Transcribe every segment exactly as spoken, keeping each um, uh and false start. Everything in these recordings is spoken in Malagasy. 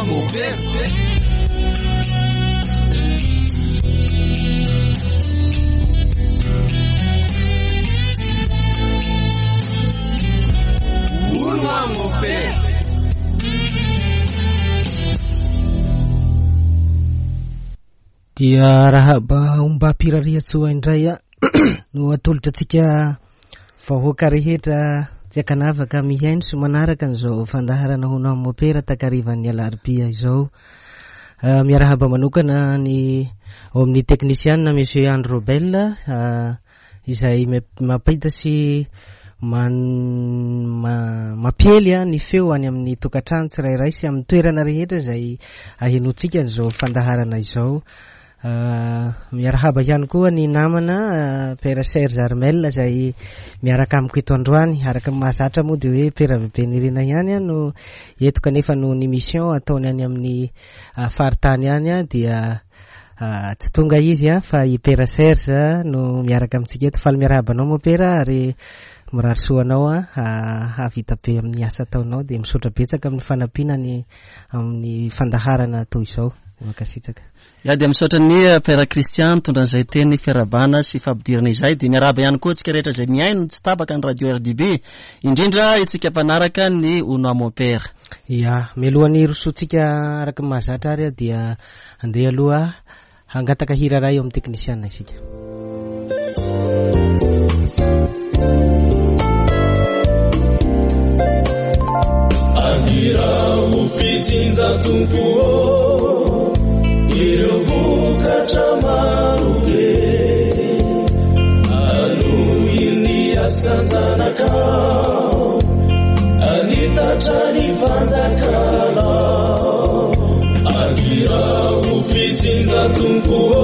Mopera. Hono a Mopera. Dia arahaba ombam-pirariantsoa indray a no atolotra antsika vahoaka rehetra tsy ankanavaka mihaino sy manaraka an'izao fandaharana Hono amin'ny Mopera takarivan'ny alarobia izao. Uh, miarahaba manokana ny ao amin'ny teknisiana Monsieur Andry Robel uh, izay mampita sy man, ma, mampiely a, ny feo any amin'ny tokantrano tsirairay sy amin'ny toerana rehetra izay ahenoantsika an'izao fandaharana izao. Uh, miarahaba ihany koa ny namana uh, Père Serge Armel izay miaraka amiko eto androany. Araka ny mahazatra moa dia hoe Père Bebe Nirina ihany a, no eto, kanefa noho ny mission ataony any amin'ny uh, faritany any a, dia uh, tsy tonga izy a, fa i Père Serge no miaraka amintsika eto. Faly miarahaba anao moa Père, ary mirary soa anao a, hahavita be amin'ny asa ataonao, dia misaotra betsaka amin'ny fanampiana ny amin'ny fandaharana toy izao. Mankasitraka. Ya, dia misaotra ny Père Christian mitondra an'izay teny fiarahabana sy fampidirana izay. Dia miarahaba ihany koa antsika rehetra izay mihaino tsy tapaka ny radio R D B, indrindra isika mpanaraka ny Hono amin'ny Mopera. Ya, mialohan'ny rosoantsika araka ny mahazatra ary dia andeha aloha hangataka hira iray eo amin'ny teknisiana isika. Aniraho mpitsinja Tompo ô, ireo vokatra maro be, anohy ny asan-janakao, anitatra ny fanjakanao. Aniraho mpitsinja Tompo ô,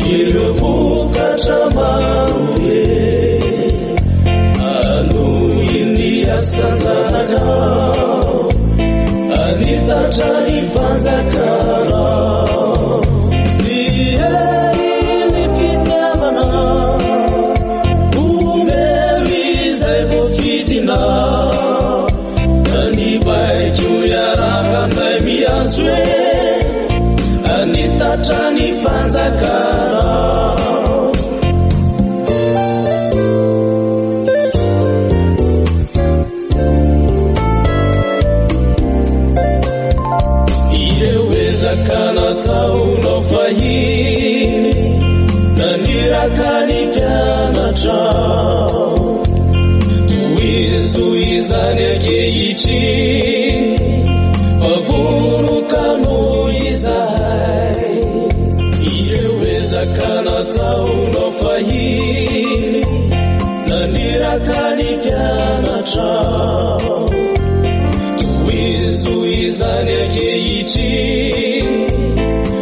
ireo vokatra maro be, anohy ny asan-janakao, anitatra ny fanjakanao. Ny hery ny fitiavana omeo izay voafidinao, ka ny baiko iarahanay miantso hoe anitatra ny fanjakanao. Ireo ezaka nataonao fahiny naniraka ny mpianatrao, tohizo izany ankehitriny fa vonoka noho izahay. Ireo ezaka nataonao fahiny naniraka ny mpianatrao, tohizo izany ankehitriny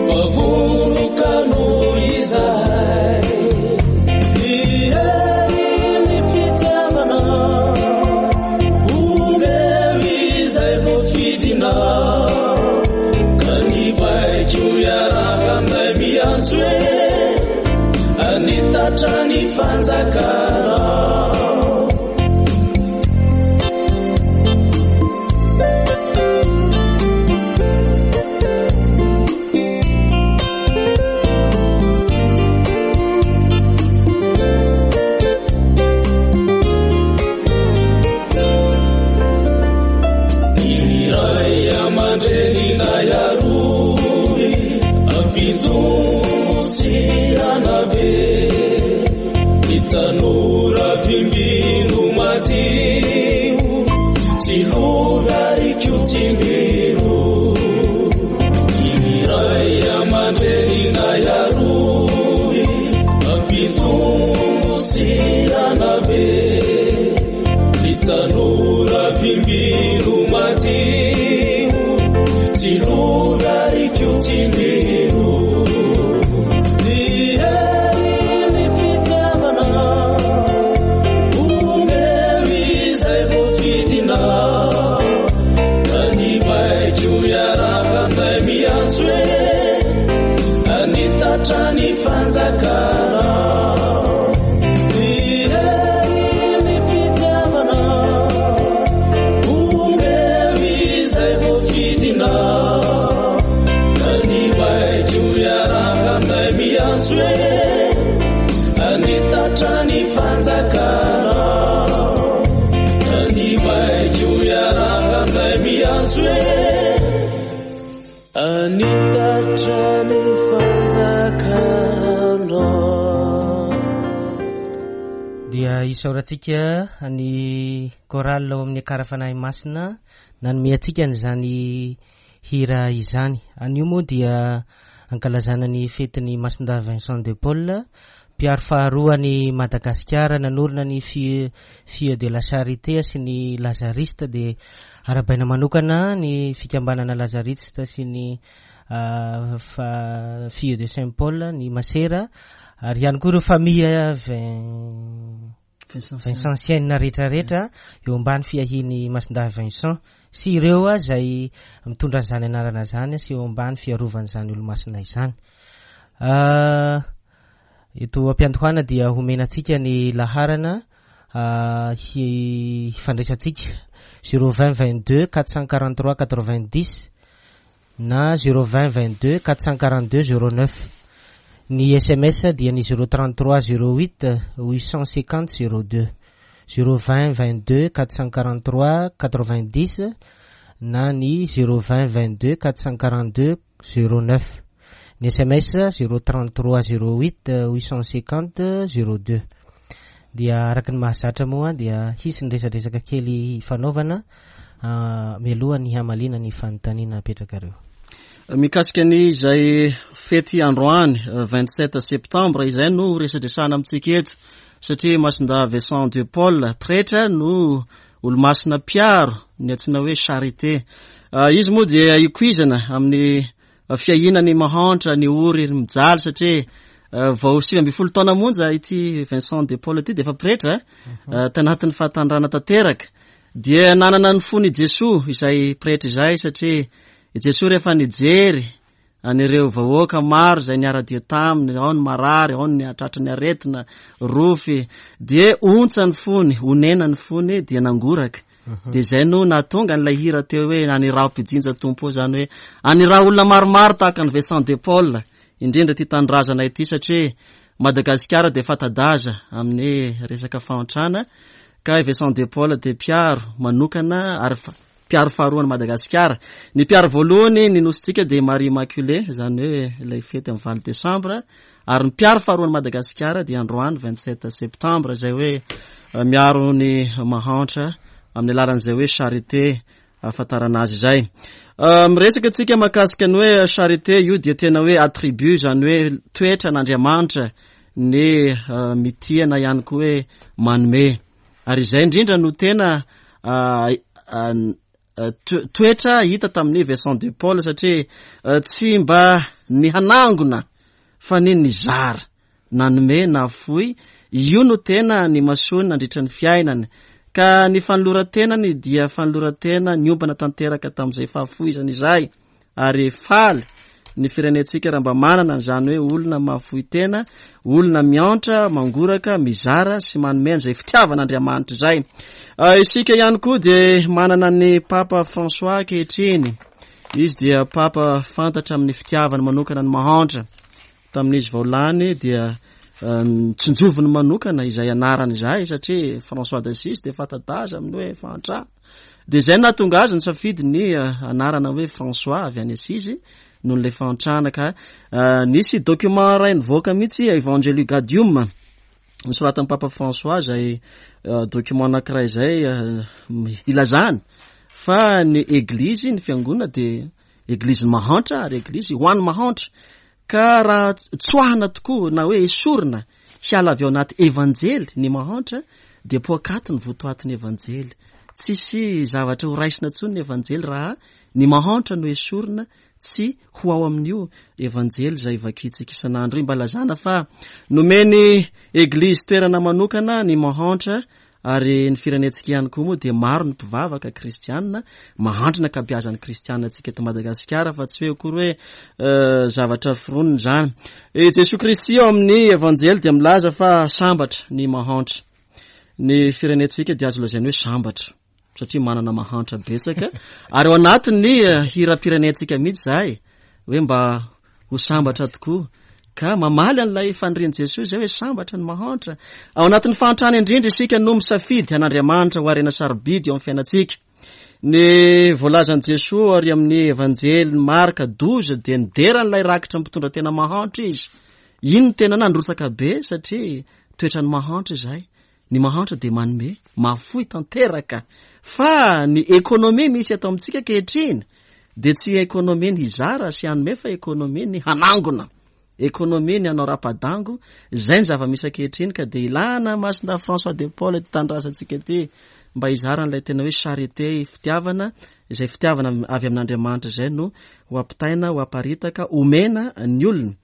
fa vonoka noho izahay. Ny hery ny fitiavana omeo izay voafidinao, ka ny baiko iarahanay miantso hoe anitatra ny fanjakanao. Ny ray aman-dreninay arovy, ampitomo sy anabe, ny tanora vimbino madio, tsy lovy ary koa tsimbino. Ny ray aman-dreninay arovy, ampitomo sy anabe, ny tanora vimbino madio, tsy lovy ary koa tsimbino. Ny hery ny fitiavana omeo izay voafidinao, ka ny baiko iarahanay miantso hoe anitatra ny fanjakanao. Ny hery ny fitiavana omeo izay voafidinao, baiko iarahanay miantso hoe anitatra ny fanjakanao. Dia isaorantsika ny chorale ao amin'ny Akara Fanahy Masina nanome antsika an'izany hira izany. Anio moa dia ankalazana ny fetin'ny Masindahy Vincent de Paul, mpiaro faharoa ny Madagasikara, nanorina ny Filles de la Charité sy ny Lazariste. Dia arahabaina manokana ny fikambanana Lazariste sy ny Filles de Saint Paul, ny Masera, ary ihany koa ireo famille vincentienne rehetrarehetra eo ambany fiahiany Masindahy Vincent sy ireo a zay mitondra an'izany anarana zany sy eo ambany fiarovan'izany olo-masina izany. Eto ampiandohana dia homena antsika ny laharana hifandraisantsika zéro vingt vingt-deux quatre cent quarante-trois quatre-vingt-dix na zéro vingt vingt-deux quatre cent quarante-deux zéro neuf. Ny S M S dia ny zéro trente-trois zéro huit huit cent cinquante zéro deux, zéro vingt vingt-deux quatre cent quarante-trois quatre-vingt-dix na ny zéro vingt vingt-deux quatre cent quarante-deux zéro neuf. Ny S M S zéro trente-trois zéro huit huit cent cinquante zéro deux. Dia araka ny mahazatra moa dia hisy ny resadresaka kely ifanaovana mialoha ny hamaliana ny fanontaniana apetrakareo. Mikasika ny izay fety androany vingt-sept septembre izay no resadresana amintsika eto, satria Masindahy Vincent de Paul pretra no olomasina mpiaro ny antsoina hoe charité. Izy moa dia ikoizana amin'ny fiahiana ny mahantra, ny ory, ny mijaly, satria vao sivy ambin'ny folo taona monja ity Vincent de Paul ity dia efa pretra, tanatin'ny fahatandrana tanteraka. Dia nanana ny fony Jesoa izay pretra izay, satria i Jesoa rehefa nijery an'ireo vahoaka maro izay niara-dia taminy, ao ny marary, ao ny tratry ny aretina, rofy, dia ontsa ny fony, onena ny fony, dia nangoraka. Dia izay no nahatonga an'ilay hira teo hoe aniraho mpijinja Tompo, izany hoe aniraho olona maromaro tahaka an'i Vincent de Paul, indrindra ity tanindrazana ity, satria Madagasikara dia fanta-daza amin'ny resaka fahantrana, ka Vincent de Paul dia mpiaro manokana ary mpiaro faharoan'i Madagasikara. Ny mpiaro voalohany ny nosintsika dia Marie Immaculée, izany hoe ilay fety amin'ny valo desambra, ary ny mpiaro faharoan'i Madagasikara dia androany vingt-sept septembre, izay hoe miaro ny mahantra amin'ny alalan'izay hoe charité ahafantarana azy izay. Miresaka antsika mahakasika ny hoe charité io dia tena hoe attribut, izany hoe toetra an'Andriamanitra ny mitia na ihany koa hoe manome, ary izay indrindra no tena toetra hita tamin'ny Vincent de Paul, satria tsy mba ny hanangona fa ny nizara, nanome na foy, io no tena ny masoany nandritra ny fiainany. Ka ny fanoloran-tenany dia fanoloran-tena niombana tanteraka tamin'izay fahafoizana izay, ary faly ny firenentsika raha mba manana an'izany hoe olona mahafoy tena, olona miantra, mangoraka, mizara sy manome an'izay fitiavan'Andriamanitra izay. Isika ihany koa dia manana ny Papa François ankehitriny. Izy dia Papa fantatra amin'ny fitiavany manokana ny mahantra. Tamin'izy vao lany dia tsinjoviny manokana izay anarany izay, satria François d'Assise dia fanta-daza amin'ny hoe fahantrana. Dia izay nahatonga azy nisafidy ny anarana hoe François avy any Assise noho ilay fahantrana. Ka nisy document iray nivoaka mihitsy, Evangelii Gaudium, nosoratan'ny Papa François, izay document anankiray izay ilazany fa ny eglizy, ny fiangonana dia eglizy mahantra ary eglizy ho an'ny mahantra. Ka raha tsoahana tokoa na hoe esorina hiala avy ao anaty evanjely ny mahantra dia poakaty ny votoatin'ny evanjely. Tsisy zavatra ho raisina intsony ny evanjely raha ny mahantra no esorina tsy ho ao amin'io evanjely izay vakintsika isan'andro io. Mba lazana fa nomeny eglizy toerana manokana ny mahantra, ary ny firenentsika ihany koa moa dia maro ny mpivavaka kristianina mahantra ny ankabeazan'ny kristianina antsika eto Madagasikara, fa tsy hoe akory hoe zavatra foronina izany. I Jesoa Kristy ao amin'ny evanjely dia milaza fa sambatra ny mahantra. Ny firenentsika dia azo lazaina hoe sambatra satria manana mahantra betsaka, ary ao anatin'ny hiram-pirenentsika mihitsy izahay hoe mba ho sambatra tokoa Ka mamaly an'ilay fanirian'i Jesoa izay hoe sambatra ny mahantra. Ao anatin'ny fahantrana indrindra isika no misafidy an'Andriamanitra ho harena sarobidy eo amin'ny fiainantsika. Ny voalazan'i Jesoa ary amin'ny Evanjely Marka douze dia nidera an'ilay rakitra mpitondra tena mahantra izy. Iny no tena nandrotsaka be satria toetran'ny mahantra izay. Ny mahantra dia manome, mahafoy tanteraka. Fa ny ekonomia misy eto amintsika ankehitriny dia tsy ekonomia ny hizara sy hanome fa ekonomia ny hanangona. Ekonomia ny hanao rapadango, izay ny zava-misy ankehitriny ka dia ilana Masindahy François de Paul ety tanindrazantsika ety mba hizara an'ilay tena hoe charité, fitiavana, izay fitiavana avy amin'Andriamanitra izay no ho ampitaina, ho aparitaka, omena ny olona.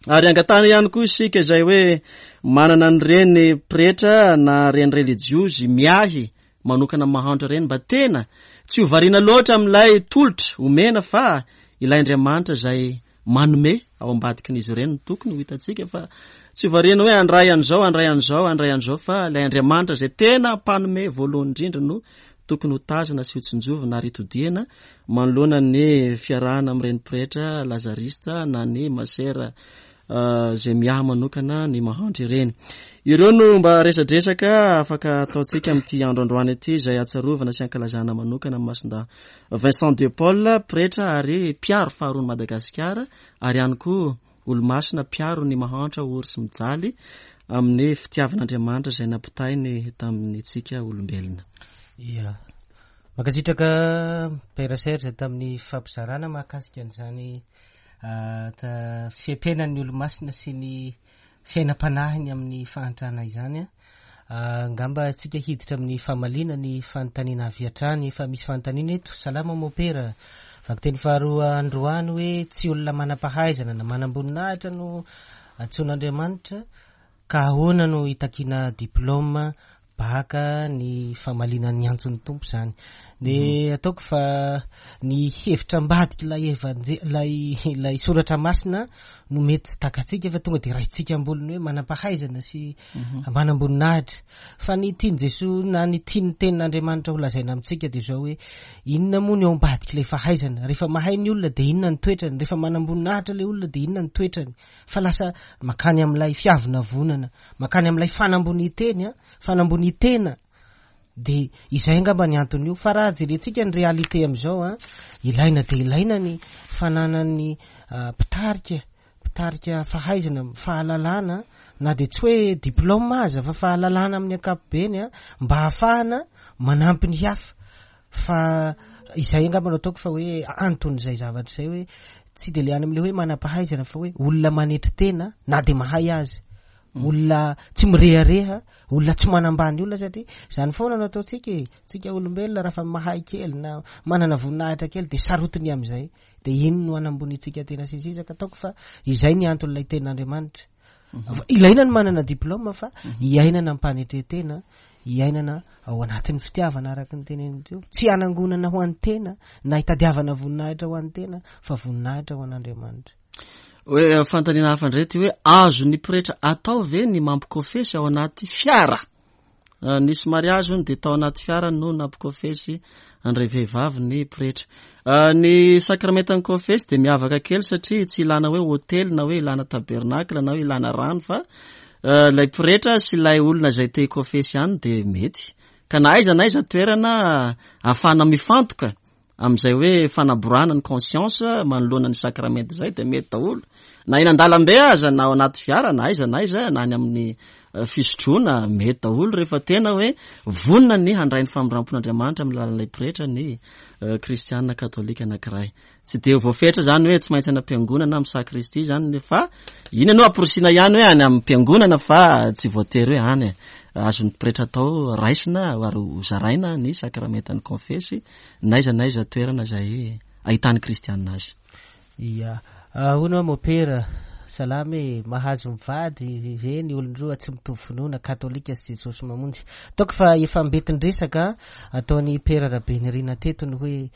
Ary angatahana ihany koa isika izay hoe manana an'ireny pretra na reny relijiozy miahy manokana mahantra ireny mba tena tsy ho variana loatra amin'ilay tolotra omena fa ilay Andriamanitra izay manome ao ambadikin'izy ireny no tokony ho hitantsika fa tsy ho variana hoe handray an'izao, handray an'izao, handray an'izao fa ilay Andriamanitra izay tena mpanome voalohany indrindra no tokony ho tazana sy ho tsinjovina ary hitodihana manoloana ny fiarahana amin'ireny pretra lazarista na ny masera izay miahy manokana ny mahantra ireny. Ireo no mba resadresaka afaka ataontsika amin'ity andro androany ity izay hatsarovana sy ankalazana manokana amin'ny Masindahy Vincent de Paul, pretra ary mpiaro faharoan'i Madagasikara ary ihany koa olomasina mpiaro ny mahantra ory sy mijaly amin'ny fitiavan'Andriamanitra izay nampitainy tamin'itsika olombelona. Ia. Mankasitraka Père Serge tamin'ny fampizarana mahakasika an'izany fiaimpiainan'ny olomasina sy ny fiainam-panahiny amin'ny fahantrana izany. Angamba tsika hiditra amin'ny famaliana ny fanontaniana avy hatrany. Efa misy fanontaniana eto. Salama mopera. Vakiteny faharoa androany hoe tsy olona manam-pahaizana na manam-boninahitra no antsoin'Andriamanitra ka ahoana no hitakiana diplôma baka ny famaliana ny antson'ny Tompo zany. De ataoko fa ny hevitra ambadiky ilay evanje-, ilay, ilay soratra masina no mety tsy takatsika fa tonga de raitsika ambolony hoe manam-pahaizana sy manam-boninahitra. Fa ny tian'i Jesoa na ny tian'ny tenin'Andriamanitra ho lazaina amintsika de zao hoe inona moa ny ao ambadiky ilay fahaizana? Rehefa mahay ny olona de inona ny toetrany? Rehefa manam-boninahitra ilay olona de inona ny toetrany? Fa lasa makany amin'ilay fiavonavonana, makany amin'ilay fanamboniteny, a, fanambonitena. De izay angamba ny antony io. Fa raha jerentsika ny réalité amin'izao, a, ilaina de ilaina ny fananan'ny mpitarika, mpitarika fahaizana, fahalalana, na de tsy hoe diplôme aza fa fahalalana amin'ny ankapobeny, a, mba ahafahana manampy ny hafa. Fa izay angamba no ataoko fa hoe anton'izay zavatra izay hoe tsy de le any amin'ilay hoe manam-pahaizana fa hoe olona manetry tena na de mahay azy, olona tsy mirehareha, olona tsy manambany olona, satria zany foana no ataontsika e. Tsika olombelona raha fa mahay kely na manana voninahitra kely de sarotiny amin'izay, de iny no anambonitsika tena sy sisa. Ka ataoko fa izay ny anton'ilay tenin'Andriamanitra. Fa ilaina ny manana diplôme fa iainana am-panetren-tena, iainana ao anatin'ny fitiavana araka ny teneniny teo. Tsy hanangonana ho an'ny tena na hitadiavana voninahitra ho an'ny tena fa voninahitra ho an'Andriamanitra. Hoe fanontaniana hafa indray ty hoe azon'ny pretra atao ve ny mampikofesy ao anaty fiara? Nisy mariazy hono de tao anaty fiara no nampikofesy andray vehivavy ny pretra. Ny sakramentan'ny kofesy de miavaka kely satria tsy ilana hoe hôtely na hoe ilana tabernacle na hoe ilana rano fa ilay pretra sy ilay olona izay te hikofesy ihany de mety. Ka na aiza na aiza toerana ahafahana mifantoka amin'izay hoe fanaborana ny conscience manoloana ny sakramenta izay de mety daholo. Na eny an-dalambe aza na ao anaty fiara na aiza na aiza na any amin'ny fisotroana mety daholo rehefa tena hoe vonona ny handray ny famindram-pon'Andriamanitra amin'ny alalan'ilay pretra ny kristiana katolika anankiray. Tsy de voafetra zany hoe tsy maintsy any am-piangonana amin'ny sakristia zany fa iny no amporisiana ihany hoe any am-piangonana fa tsy voatery hoe any. Azon'ny pretra atao raisina ary ho zaraina ny sakramentan'ny konfesy na aiza na aiza toerana izay ahitan'ny kristiana azy. Ia, hono aho mopera, salama e, mahazo mivady ve ny olon-droa tsy mitovy finoana katolika sy Jesosy Mamonjy? Ataoko fa efa mbetin-dresaka ataon'ny Pera Rabenirina teto ny hoe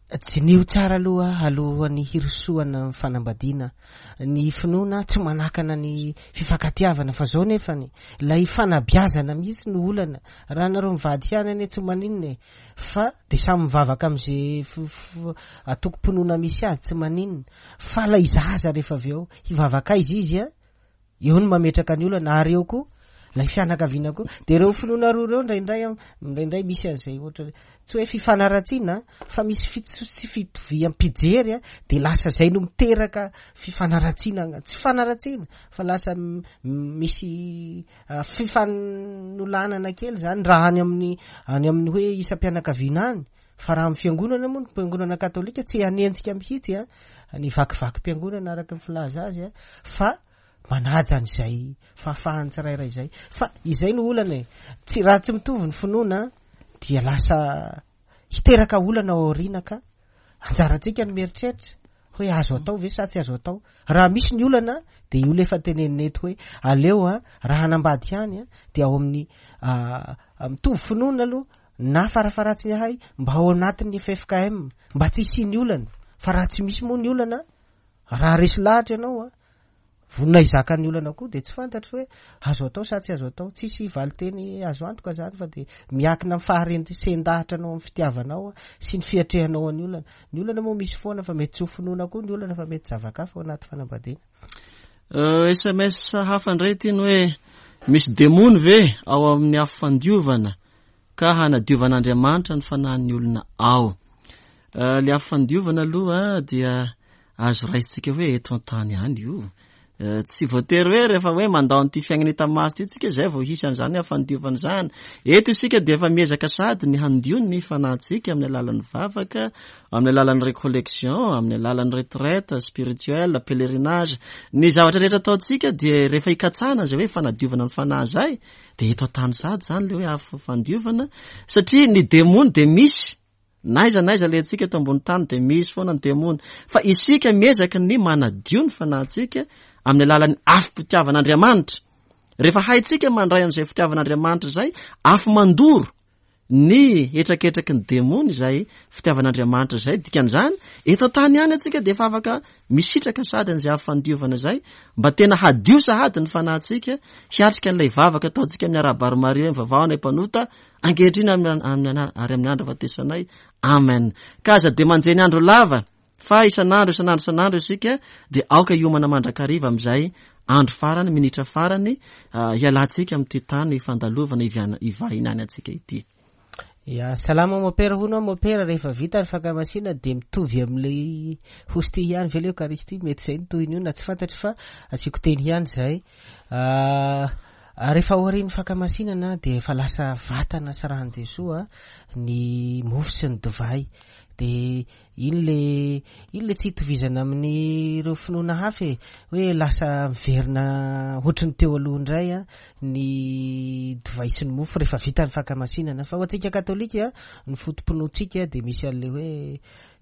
Diniho tsara aloha alohan'ny hirosoana amin'ny fanambadiana. Ny finoana tsy manakana ny fifankatiavana fa zao nefany ilay fanabeazana mihitsy no olana. Raha nareo mivady ihany anie tsy maninona e, fa de samy mivavaka am'izay antokom-pinoana misy azy, tsy maninona. Fa ilay zaza rehefa avy eo hivavaka aiza izy a, eo no mametraka ny olana, ary eo koa lay fianakaviana koa. De reo finoana roa reo indraindray indraindray misy an'izay ohatra tsy hoe fifanaratsiana fa misy fits- tsy fitoviam-pijery a, de lasa zay no miteraka fifanaratsiana, tsy fanaratsiana fa lasa misy fifanolanana kely zany raha any amin'ny any amin'ny hoe isam-pianakaviana any. Fa raha amin'ny fiangonana moa, ny fiangonana katolika tsy hanenjika mihitsy a ny vakivakim-piangonana araka ny filaza azy a, fa manaja an'izay fahafahany tsirairay izay. Fa izay no olana e, tsy raha tsy mitovy ny finoana dia lasa hiteraka olana ao aoriana, ka anjarantsika no mieritreritra hoe azo atao ve sa tsy azo atao. Raha misy ny olana de io le efa tenenina eto hoe aleo a raha hanambady ihany a de ao amin'ny mitovy finoana aloha na farafaratsiny ahay mba ao anatin'ny F F K M mba tsy hisian'ny olana. Fa raha tsy misy moa ny olana, raha resy lahatra ianao a vonona hizaka ny olana koa, de tsy fantatro hoe azo atao sa tsy azo atao. Tsisy valiteny azo antoka zany fa de miankina amin'ny faharendresen-dahatra anao amin'ny fitiavanao sy ny fiatrehanao ny olana. Ny olana moa misy foana fa mety tsy ho finoana koa ny olana fa mety zava-kafa ao anaty fanambadiana. Euh, S M S hafa indray ity ny hoe misy demony ve ao amin'ny afo fandiovana ka hanadiovan'Andriamanitra ny fanahin'ny olona ao? Euh, le afo fandiovana aloha dia azo raisintsika hoe eto an-tany ihany io. Euh, tsy voatery hoe rehefa hoe mandao an'ity fiainana hita maso ity tsika zay vao hisy an'izany afo fandiovana izany. Eto isika dia efa miezaka sady ny handio ny fanahintsika amin'ny alalan'ny vavaka, amin'ny alalan'ny récollection, amin'ny alalan'ny retraite spirituelle, pèlerinage. Ny zavatra rehetra ataontsika dia rehefa hikatsahana izay hoe fanadiovana ny fanahy izay, dia eto an-tany sady izany le hoe afo fandiovana, satria ny demony dia misy. Na aiza na aiza le antsika eto ambony tany dia misy foana ny demony. Fa isika miezaka ny manadio ny fanahintsika amin'ny alalan'ny afom-pitiavan'Andriamanitra. Rehefa haintsika mandray an'izay fitiavan'Andriamanitra izay, afo mandoro ny hetraketraky ny demony izay fitiavan'Andriamanitra izay. Dikan'izany, eto an-tany ihany antsika dia efa afaka misitraka sady an'izay afo fandiovana izay, mba tena hadio sahady ny fanahintsika, hiatrika an'ilay vavaka ataontsika amin'ny Arahaba Maria hoe mivavaha anay mpanota, ankehitriny amin'ny, amin'ny, ary amin'ny andro ahafatesanay. Amen. Ka aza dia manjeny andro lava, fa isan'andro, isan'andro, isan'andro isika dia aoka hiomana mandrakariva amin'izay andro farany, minitra farany, ah, hialantsika amin'ity tany fandalovana iviana-, ivahinany antsika ity. Ya, salama mopera hono mopera, rehefa vita ny fankamasina dia mitovy amin'ilay hostia ihany ve le Eucharistie? Mety izay ny tohiny io na tsy fantatro fa asiako teny ihany izay. Ah, rehefa aorian'ny fankamasinana dia efa lasa vatana sy ran'i Jesoa ny mofo sy ny divay. Dia iny le, iny le tsy hitovizana amin'ireo finoana hafa e, hoe lasa miverina ohatry ny teo aloha indray a, ny divay sy ny mofo rehefa vita ny fankamasinana. Fa ho antsika katolika, ny foto-pinoantsika dia misy an'ilay hoe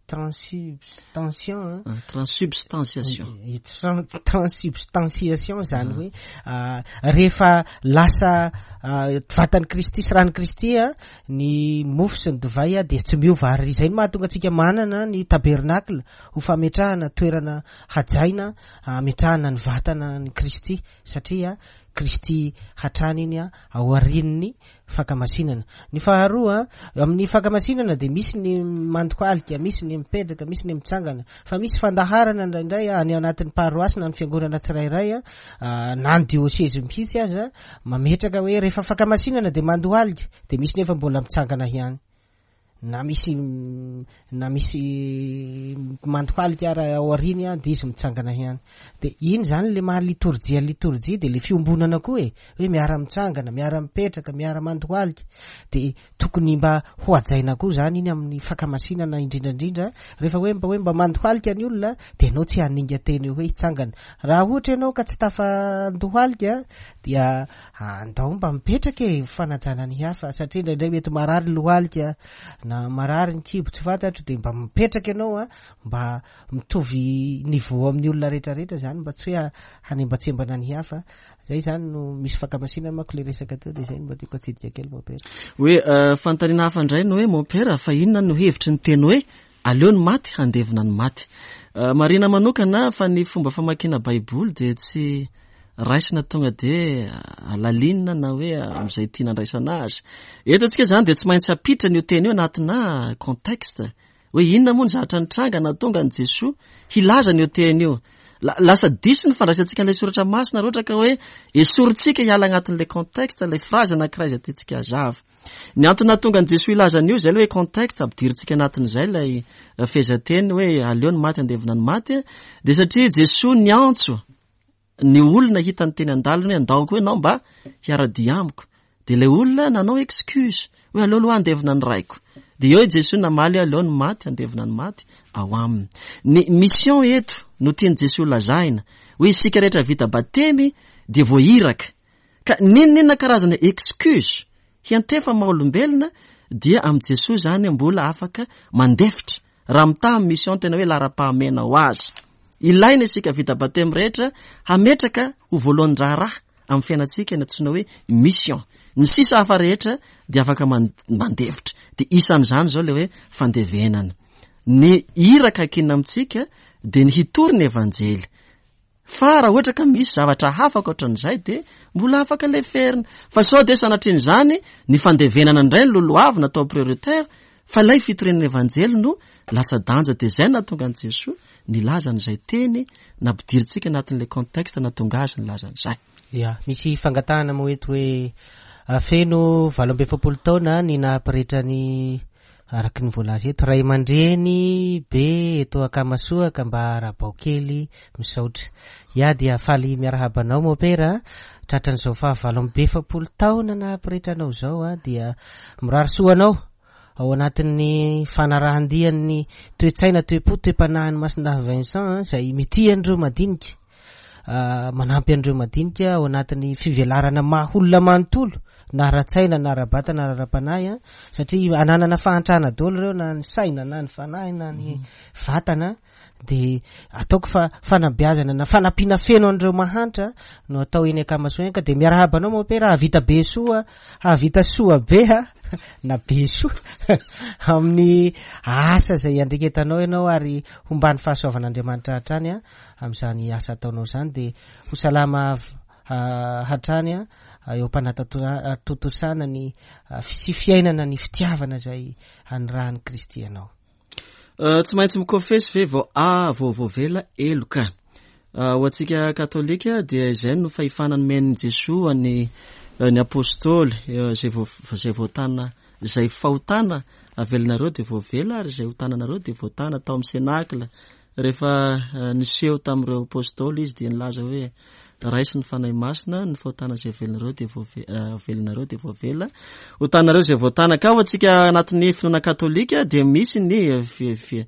transubstantiation, Ah, transubstantiation. I, tran-, transubstantiation zany hoe, ah, rehefa lasa, ah, vatan'i Kristy sy ran'i Kristy, ah, ny mofo sy ny divay, ah, dia tsy miova. Ary izay no mahatonga antsika manana ny tabernacle ho fametrahana toerana hajaina, ah, ametrahana ny vatana ny Kristy, satria Kristy hatrany iny, ah, aorian'ny fankamasinana. Ny faharoa, amin'ny fankamasinana dia misy ny mandohalika, misy ny mipetraka, misy ny mitsangana, fa misy fandaharana indraindray any anatin'ny paroasy na ny fiangonana tsirairay, ah, na ny diôsezy mihitsy aza, mametraka hoe rehefa fankamasinana dia mandohalika, dia misy nefa mbola mitsangana ihany. Na misy, na misy mandohalika ara aoriany, ah, dia izy mitsangana ihany. Dia iny zany le maha litorjia, litorjia dia le fiombonana koa e, hoe miara-mitsangana, miara-mipetraka, miara-mandohalika. Dia tokony mba ho hajaina koa zany iny amin'ny fankamasinana indrindrandrindra. Rehefa hoe mba hoe mba mandohalika ny olona, dia ianao tsy haninga teny hoe hitsangana. Raha ohatra ianao ka tsy tafandohalika, dia andao mba mipetraka e, fanajana ny hafa, satria indraindray mety marary lohalika na marary ny kibo tsy fantatro, dia mba mipetraka ianao, a, mba mitovy niveau amin'ny olona rehetrarehetra zany, mba tsy hoe hanembatsembana ny hafa. Zay zany no misy fankamasinana manko le resaka teo, dia zay no mba tiako atsidika kely, Mompera. Hoe, euh, fanontaniana hafa indray no hoe, Mompera, fa inona no hevitry ny teny hoe Aleo ny maty handevina ny maty. Marihina manokana fa ny fomba famakiana Baiboly dia tsy raisina tonga dia alalinina na hoe amin'izay tiana andraisana azy. Eto antsika izany dia tsy maintsy ampiditra an'io teny io anatina contexte. Hoe inona moa ny zavatra nitranga nahatonga an'i Jesoa hilaza an'io teny io. Lasa diso ny fandraisantsika an'ilay soratra masina raha ohatra ka hoe esorintsika hiala anatin'ilay contexte, ilay phrase anankiray izay tiantsika hazava. Ny antony nahatonga an'i Jesoa hilaza an'io izay ilay hoe contexte, ampidirintsika anatin'izay ilay fehezanteny hoe aleo ny maty handevina ny maty, dia satria Jesoa niantso ny olona hitany teny an-dalana hoe andao koa ianao mba hiara-dia amiko. Dia ilay olona nanao excuse hoe aleo aloha handevina ny raiko. Dia eo i Jesoa namaly hoe aleo ny maty handevina ny maty ao aminy. Ny mission eto no tian'i Jesoa lazaina hoe isika rehetra vita batemy dia voahiraka. Ka n'inon'inona karazana excuse hiantefa maha olombelona dia amin'i Jesoa izany mbola afaka mandefitra raha mitaha amin'ny mission tena hoe laharam-pahamehana ho azy. Ilaina isika vita batemy rehetra hametraka ho voalohan-draharaha amin'ny fiainantsika ny antsoina hoe mission. Ny sisa hafa rehetra dia afaka mandefitra. Dia isan'izany izao ilay hoe fandevenana. Ny iraka ankinina amintsika dia ny hitory ny evanjely. Fa raha ohatra ka misy zavatra hafa ankoatran'izay dia mbola afaka leferina. Fa sao dia sanatrian'izany ny fandevenana indray no lolohavina atao prioritaire, fa ilay fitoriana ny evanjely no latsa-danja. Dia izay no nahatonga an'i Jesoa nilaza an'izay teny nampidirintsika anatin'ilay contexte nahatonga azy nilaza an'izay. Ya, misy fangatahana moa eto hoe feno valo amby efapolo taona ny nahapretra ny araky ny voalaza eto, ray aman-dreny be eto Akamasoa ka mba arabao kely misaotra. Ya, dia faly miarahaba anao mopera, tratran'izao fahavalo amby efapolo taona nahapretra anao izao, dia mirary soa anao ao anatin'ny fanarahan-dian'ny toe-tsaina, toe-po, toe-panahin'ny Masindahy Vincent izay mitia an'ireo madinika, manampy an'ireo madinika ao anatin'ny fivelarana maha olona manontolo, na ara-tsaina, na ara-batana, na ara-panahy, satria ananana fahantrana daholo ireo, na ny saina, na ny fanahy, na ny vatana. Dia ataoko fa fanabeazana na fanampiana feno an'ireo mahantra no atao eny Akamasoa eny, ka dia miarahaba anao mopera, hahavita be soa, hahavita soa be ha, na be soa amin'ny asa izay andreketanao ianao, ary homban'ny fahasoavan'Andriamanitra hatrany a amin'izany asa ataonao izany. Dia ho salama hatrany a eo am-panatontosana ny sy fiainana ny fitiavana izay anirahan'i Kristy anao. Tsy maintsy mikofesy ve vao a vao voavela heloka? Ho antsika katolika dia izay no fahefana nomen'i Jesoa ny ny apôstôly, izay vo-, izay voatana, izay fahotana avelanareo dia voavela, ary izay hotananareo dia voatana. Tao amin'ny senakla rehefa niseho tamin'ireo apôstôly izy dia nilaza hoe raiso ny Fanahy Masina, ny fahotana izay avelanareo dia voave-, avelanareo dia voavela, hotanareo izay voatana. Ka ho antsika anatin'ny finoana katolika dia misy ny fi-, fi-,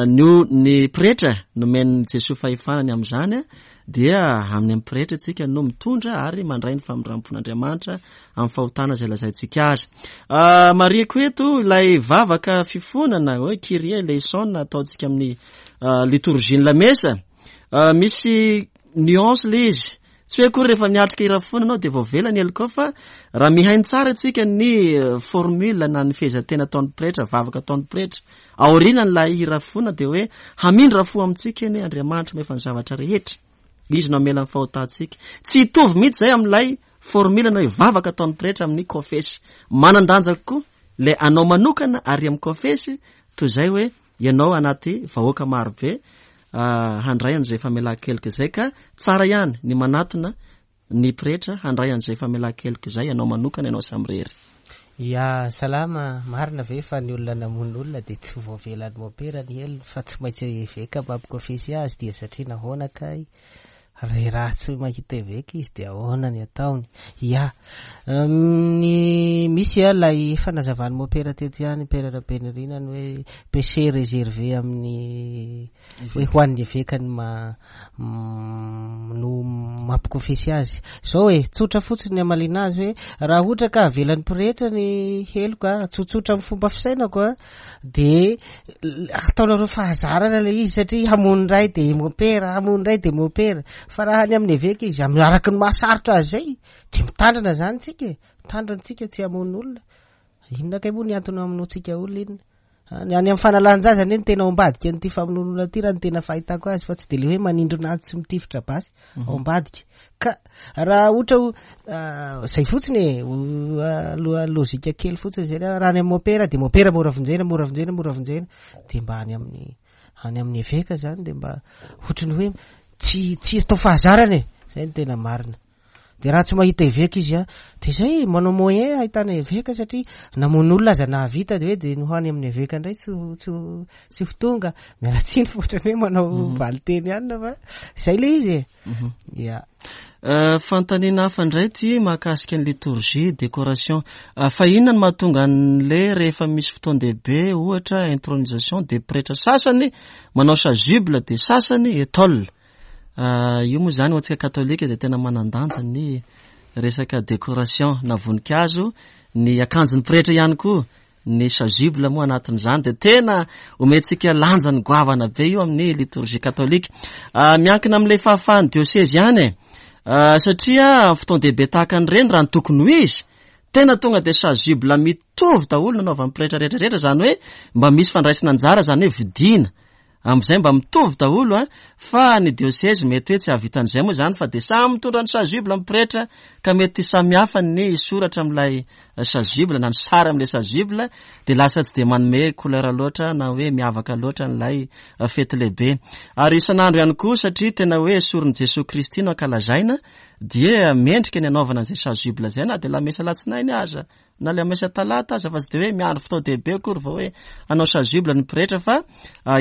ny, ny pretra nomen'i Jesoa fahefana ny amin'izany, dia amin'ny amin'ny pretra isika no mitondra ary mandray ny famindram-pon'Andriamanitra amin'ny fahotana izay lazaintsika azy. Marihiko eto ilay vavaka fifonana hoe Kyrie eleison ataontsika amin'ny liturgie ny lamesa. Misy nuance le izy. Tsy hoe akory rehefa miatrika hira fona anao dia voavela ny heloka, fa raha mihaino tsara antsika ny formule na ny fehezantena ataon'ny pretra, vavaka ataon'ny pretra aorianan'ilay hira fona dia hoe hamindra fo amintsika anie Andriamanitra mahefa ny zavatra rehetra, izy no hamela ny fahotantsika. Tsy hitovy mihitsy izay amin'ilay formule na hoe vavaka ataon'ny pretra amin'ny kofesy. Manan-danja kokoa ilay anao manokana ary amin'ny kofesy toy izay hoe ianao anaty vahoaka marobe handray an'izay famelan-keloka izay, ka tsara ihany ny manatona ny pretra handray an'izay famelan-keloka izay ianao manokana, ianao samirery. Ya, salama, marina ve fa ny olona namono olona dia tsy voavelan'ny mopera ny helony fa tsy maintsy eveka mampikofesy azy, dia satria nahoana kay? Re raha tsy mahita eveka izy dia ahoana ny ataony? Ya, ny misy a ilay fanazavan'ny mopera teto ihany, Père Rabenirina, ny hoe péché réservé amin'ny hoe ho an'ny eveka ny ma-, no mampikofesy azy. Zao e, tsotra fotsiny ny hamaliana azy hoe raha ohatra ka avelan'ny pretra ny heloka, tsotsotra amin'ny fomba fisainako a, dia ataonareo fahazarana ilay izy satria hamono indray dia mopera, hamono indray dia mopera. Fa raha any amin'ny eveka izy, amin'ny araky ny mahasarotra azy izay, dia mitandrina zany tsika e, mitandrina tsika tsy hamono olona. Inona kay moa ny antony hamonoantsika olona inona? Any amin'ny fanalan-jaza anie ny tena ao ambadika an'ity famonoana ity raha ny tena fahitako azy, fa tsy de le hoe manindrona azy tsy mitifitra basy ao ambadika. Ka raha ohatra ho zay fotsiny e, aloha lojika kely fotsiny zay, raha any amin'ny mopera de mopera mora vonjena, mora vonjena, mora vonjena, de mba any amin'ny any amin'ny eveka zany de mba ohatry ny hoe tsy tsy atao fahazarana e, zay ny tena marina. De raha tsy mahita eveka izy a, de zay manao moyen ahitana eveka, satria namono olona aza nahavita de hoe de no hany amin'ny eveka indray tsy tsy tsy ho tonga. Miala tsiny fa ohatran'ny hoe manao valiteny ihany fa zay le izy e. Ya. Fanontaniana hafa indray ty mahakasika ny liturgie, décoration. Fa inona no mahatonga an'le rehefa misy fotoan-dehibe, ohatra intronisation, de pretra sasany manao chasuble de sasany étole? Io moa zany ho antsika katolika de tena manan-danja ny resaka décoration na voninkazo, ny akanjon'ny pretra ihany koa, ny chasuble moa anatin'izany de tena omentsika lanjany goavana be io amin'ny liturgie katolika. Miankina amin'ilay fahafahan'ny diocèse ihany e, satria fotoan-dehibe tahaka an'ireny raha ny tokony ho izy, tena tonga de chasuble mitovy daholo nanaovan'ny pretra rehetrarehetra, zany hoe mba misy fandraisana anjara, zany hoe vidiana amin'izay mba mitovy daholo a, fa ny diocèse mety hoe tsy hahavitan'izay moa zany, fa de samy mitondra ny chasuble amin'ny pretra, ka mety samy hafa ny soratra amin'ilay chasuble na ny sary amin'ilay chasuble, de lasa tsy de manome couleur loatra na hoe miavaka loatra an'ilay fety lehibe. Ary isan'andro ihany koa, satria tena hoe soron'i Jesoa Kristy no ankalazaina, dia mendrika ny anaovana an'izay chasuble izay na de lamesa alatsinainy aza, na le lamesa talata aza, fa tsy de hoe miandry fotoan-dehibe akory vao hoe hanao chasuble ny pretra, fa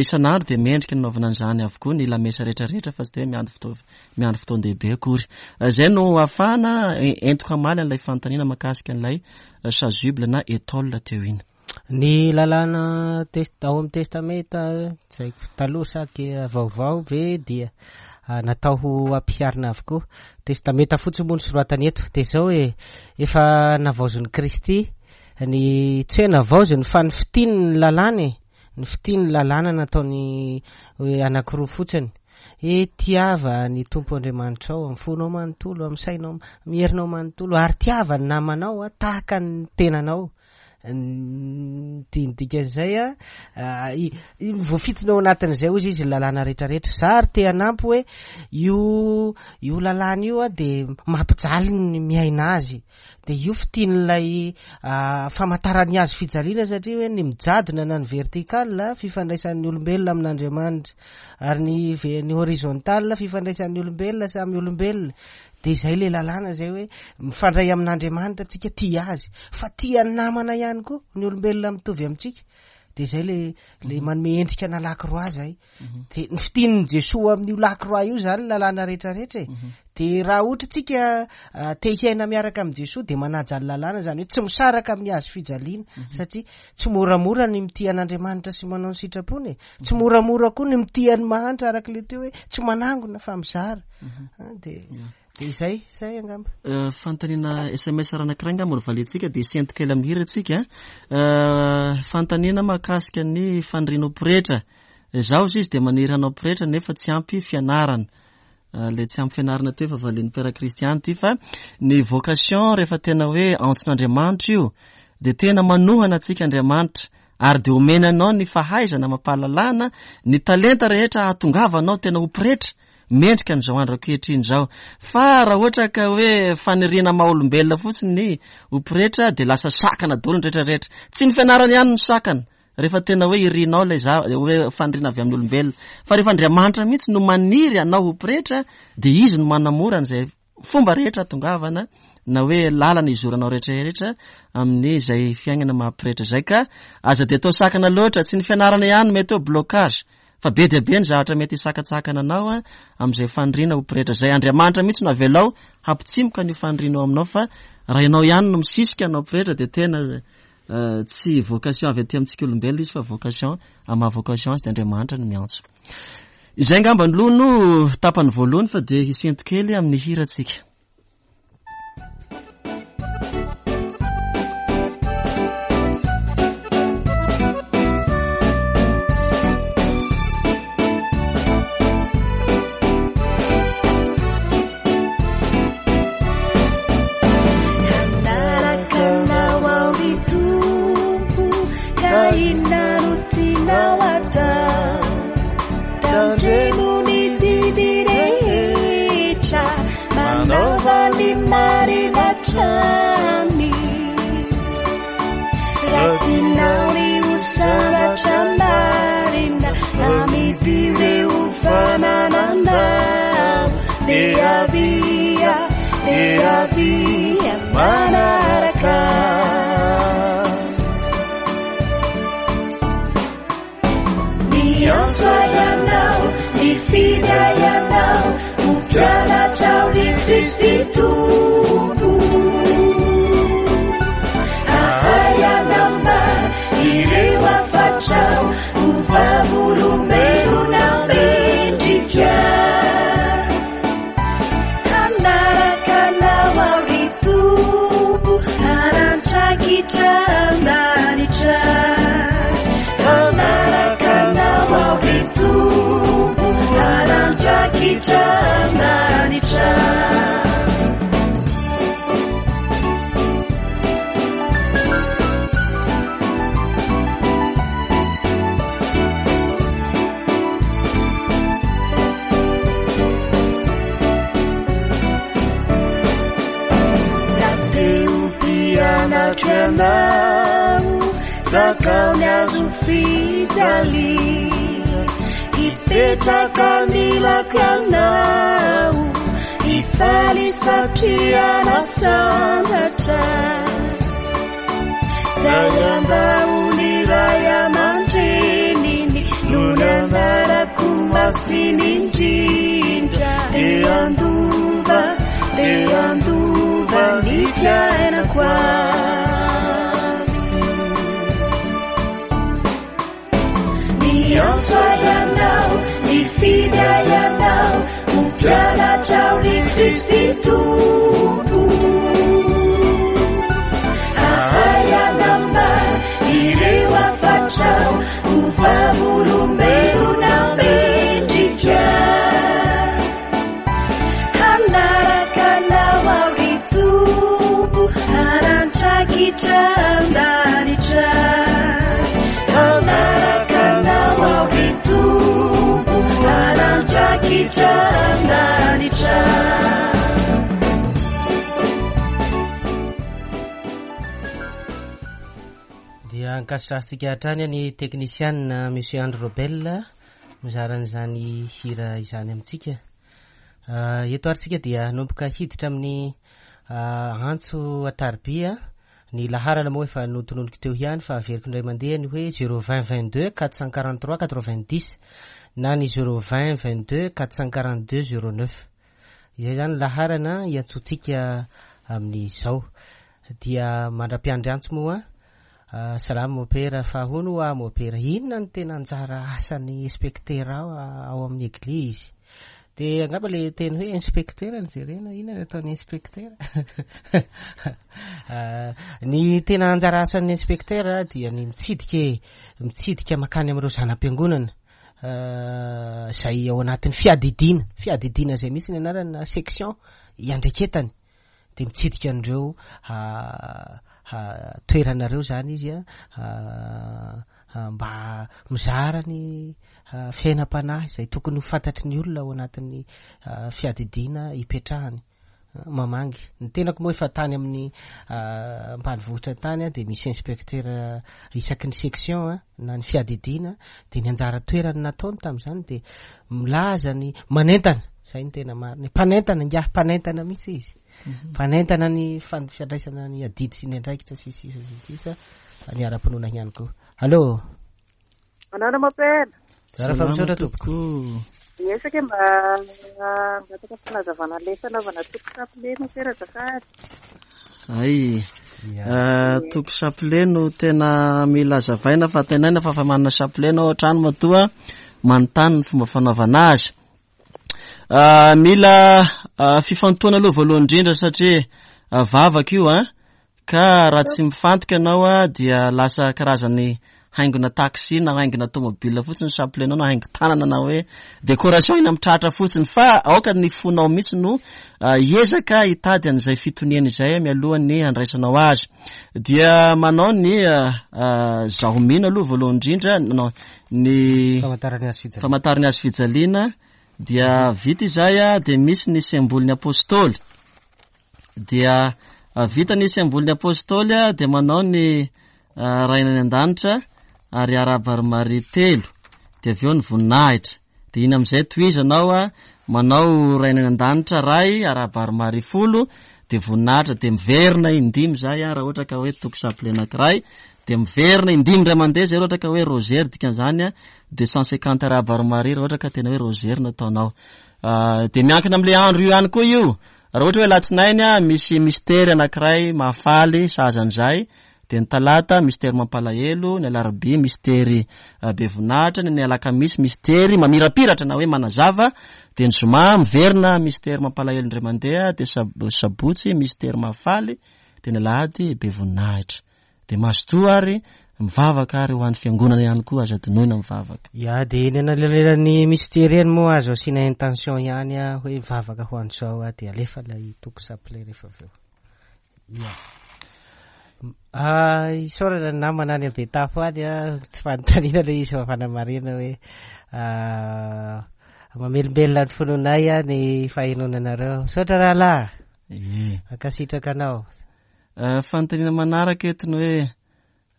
isan'andro de mendrika ny anaovana an'izany avokoa ny lamesa rehetrarehetra, fa tsy de hoe miandry fotoa-, miandry fotoan-dehibe akory. Izay no ahafahana entiko hamaly an'ilay fanontaniana mahakasika an'ilay chasuble na étole teo iny. Ny lalàna test-, ao amin'ny testamenta tsy haiko taloha sa ke vaovao ve dia natao ho ampiharina avokoa. Testamenta fotsiny moa no soratany eto. De zao hoe efa navaozin'i Kristy ny tsy hoe navaoziny fa ny fitiny ny lalàna e, ny fitiny ny lalàna nataony hoe anankiroa fotsiny. E tiava ny Tompo Andriamanitrao amin'ny fonao manontolo, amin'ny sainao, amin'ny herinao manontolo, ary tiava ny namanao a, tahaka ny tenanao. Ny dikan'izay a, i-, i-, voafitina ao anatin'izay hozy izy ny lalàna rehetrarehetra. Za ary te hanampy hoe io, io lalàna io a de mampijaly ny miaina azy. De io fitian'ilay, ah, famantaran'ny hazo fijaliana, satria hoe ny mijadona na ny vertical fifandraisan'ny olombelona amin'Andriamanitra, ary ny ve-, ny horizontal fifandraisan'ny olombelona samy olombelona. De zay le lalàna zay hoe mifandray amin'Andriamanitra tsika, tia azy, fa tia ny namana ihany koa ny olombelona mitovy amintsika. De zay le, le manome endrika na lakroa zay. De ny fitian'i Jesoa amin'io lakroa io zany lalàna rehetrarehetra e. De raha ohatra tsika, ah, te hiaina miaraka amin'i Jesoa de manaja ny lalàna, zany hoe tsy misaraka amin'ny hazo fijaliana, satria tsy moramora ny mitia an'Andriamanitra sy manao ny sitrapony e. Tsy moramora koa ny mitia ny mahantra, araka le teo hoe tsy manangona fa mizara. Ah, de de izay, izay angamba. Euh, fanontaniana S M S raha anankiray angamba no valiantsika, de sento kely amin'ny hira tsika. Euh, fanontaniana mahakasika ny faniriana ho pretra. Zaho izy de maniry hanao pretra nefa tsy ampy fianarana. Euh, le tsy ampy fianarana teo efa valian'ny Père Christian ty, fa ny vocation rehefa tena hoe antson'Andriamanitra io de tena manohana antsika Andriamanitra, ary de omena anao ny fahaizana amam-pahalalana, ny talenta rehetra hahatongavanao tena ho pretra mendrika an'izao andro ankehitriny izao. Fa raha ohatra ka hoe faniriana maha olombelona fotsiny ny ho pretra de lasa sakana daholo ny rehetrarehetra. Tsy ny fianarana ihany no sakana rehefa tena hoe irinao ilay za-, hoe faniriana avy amin'ny olombelona, fa rehefa Andriamanitra mihitsy no maniry anao ho pretra de izy no manamora an'izay fomba rehetra hahatongavana na hoe lalana izoranao rehetrarehetra amin'izay fiainana maha pretra izay. Ka aza de atao sakana loatra, tsy ny fianarana ihany mety hoe blocage, fa be dia be ny zavatra mety hisakatsakana anao a, amin'izay faniriana ho pretra izay. Andriamanitra mihitsy no avelao hampitsimoka an'io faniriana ao aminao, fa raha ianao ihany no misisika anao pretra de tena, eh, tsy vocation avy aty amintsika olombelona izy, fa vocation amin'ny maha vocation azy de Andriamanitra no miantso. Izay angamba ny loha no tapany voalohany, fa de hisento kely amin'ny hirantsika. Inona no Nifidy ahy ianao ho mpianatrao ry Kristy Tompo. Ahay hanambara ireo hafatrao ho vavolombelona mendrika. Hanaraka anao aho ry Tompo, harandraikitra an-danitra. Hanaraka anao aho ry Tompo, harandraikitra an-danitra. Na te ho mpianatro ianao, zakao ny hazo fijaliana. Hipetraka anilako ianao, hifaly satria nasantatra. Zay ambao ny ray aman-dreniny no nambarako masina indrindra. Te handova, te handova ny fiainako any. Niantso ahy ianao, nifidy ahy ianao, ho mpianatrao ry Kristy Tompo. Ahay hanambara ireo hafatrao ho vavolombelona mendrika. Hanaraka anao aho ry Tompo, harandraikitra an-danitra. Hanaraka anao aho ry Tompo, harandraikitra an-danitra. Dia ankasitrahantsika hatrany ny teknisianina Monsieur Andry Robel mizara an'izany hira izany amintsika. Ah, eto ary tsika dia hanomboka hiditra amin'ny, ah, antso an-tarobia. Ny laharana moa efa notononiko teo ihany fa averiko indray mandeha ny hoe zéro vingt vingt-deux quatre cent quarante-trois quatre-vingt-dix na ny zéro vingt vingt-deux quatre cent quarante-deux zéro neuf. Izay zany laharana iantsoantsika amin'izao. Dia mandra-piandry antso moa, ah, salama mopera, fa hono hoa mopera, inona no tena anjara asan'ny inspecteur ao, ao amin'ny eglizy? Dia angamba le teny hoe inspecteur no jerena, inona no ataon'ny inspecteur? Ah, ny tena anjara asan'ny inspecteur dia ny mitsidika e, mitsidika makany amin'ireo zanam-piangonana, ah, izay ao anatin'ny fiadidiana, fiadidiana izay mihitsy ny anarany na section iandraiketany. Dia mitsidika an'ireo, ah, ah, toeranareo zany izy, ah, ah, mba mizara ny, ah, fiainam-panahy izay tokony ho fantatry ny olona ao anatin'ny, ah, fiadidiana ipetrahany. Ah, mamangy. Ny tenako moa efa tany amin'ny, ah, ambanivohitra tany, ah, dia misy inspecteur, ah, isaky ny section, ah, na ny fiadidiana, dia ny anjara toerany nataony tamin'izany dia milaza ny manentana, izay ny tena marina. Mpanentana, ingahy mpanentana mihitsy izy. Mhm. Mpanentana ny fan-, fiandraisana ny adidy sy ny andraikitra sy sisa sy sisa, ny ara-pinoana ihany koa. Allô? Manana mopera. Zara fa misaotra tompoko. Miezaka mba hangataka fanazavana le fanaovana toko chapelet mopera azafady. Ay. Ya. Ah, toko chapelet no tena mila azavaina fa tenaina fa efa manana chapelet anao hatrany matoa manontany ny fomba fanaovana azy. Ah, mila, ah, fifantohana aloha voalohany indrindra satria, ah, vavaka io, ah, ka raha tsy mifantoka ianao, ah, dia lasa karazany haingona taxi na haingona tomobile fotsiny chapelet anao na haingo tanana na hoe décoration eny amin'ny tratra fotsiny, fa aoka ny fonao mihitsy no, ah, hiezaka hitady an'izay fitoniana izay mialohan'ny handraisanao azy. Dia manao ny, ah, ah, zaho mino aloha voalohany indrindra, nanao ny Famantarana hazo fijaliana. famantarana hazo fijaliana. Dia vita izay, ah, dia misy ny sembolin'ny apôstôly. Dia, ah, vita ny sembolin'ny apôstôly, ah, dia manao ny, ah, Ray any an-danitra ary arahaba ry Maria telo. Dia avy eo ny voninahitra. Dia iny amin'izay tohizanao, ah, manao Ray any an-danitra ray, arahaba ry Maria folo, dia voninahitra, dia miverina indimy izay, ah, raha ohatra ka hoe toko chapelet anankiray, Dia miverina indimy indray mandeha zay raha ohatra ka hoe rosaire, dikan'izany a deux cent cinquante arahaba ry Maria raha ohatra ka tena hoe rosaire no ataonao. Ah, dia miankina amin'ilay andro io ihany koa io. Raha ohatra hoe alatsinainy a misy mistery anankiray mahafaly sahaza an'izay, dia ny talata mistery mampalahelo, ny alarobia mistery, ah, be voninahitra, ny alakamisy mistery mamirapiratra na hoe manazava, dia ny zoma miverina mistery mampalahelo indray mandeha, dia sab-, sabotsy mistery mahafaly, dia ny alahady be voninahitra. Dia mazotoa ary mivavaka ary ho an'ny fiangonana ihany koa, aza adinoina mivavaka. Ya, dia eny anelanelan'ny mistery eny moa azo asiana intention ihany a, hoe mivavaka ho an'izao a, dia alefa ilay toko chapelet rehefa avy eo. Ya. Ah, isaorana ny namana any Betafo any a, tsy fanontaniana ilay izy fa fanamarihana hoe, ah, mamelombelona ny finoanay a ny fahenoana anareo. Misaotra rahalahy. Ie. Ankasitraka anao. Eh, fanontaniana manaraka eto ny hoe,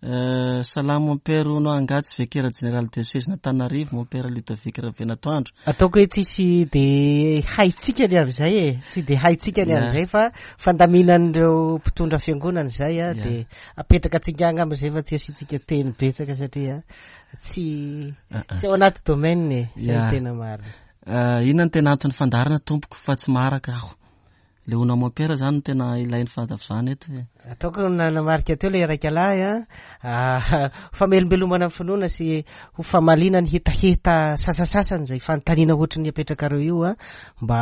eh, salamo mon père hono angaha tsy vicaire général diocèse n'Antananarivo mon père Ludovic Rabenatoandro. Ataoko hoe tsisy de haitsika ny amin'izay e, tsy de haitsika ny Ya. amin'izay fa fandaminan'ireo mpitondra fiangonana izay a, Ya. de apetraka antsika angamba izay fa tsy asiantsika teny betsaka satria tsy, Ah, ah. tsy ao anaty domaine e, zay Ya. no tena marina. Eh, inona no tena anton'ny fandaharana tompoko fa tsy maharaka aho. Le hono mon père zany no tena ilain'ny fahazavana eto e. Ataoko na namarika teo le iraika lahy a, ah, famelombelomana ny finoana sy ho famaliana ny hetaheta sasasasany izay fanontaniana ohatry ny apetrakareo io a, mba,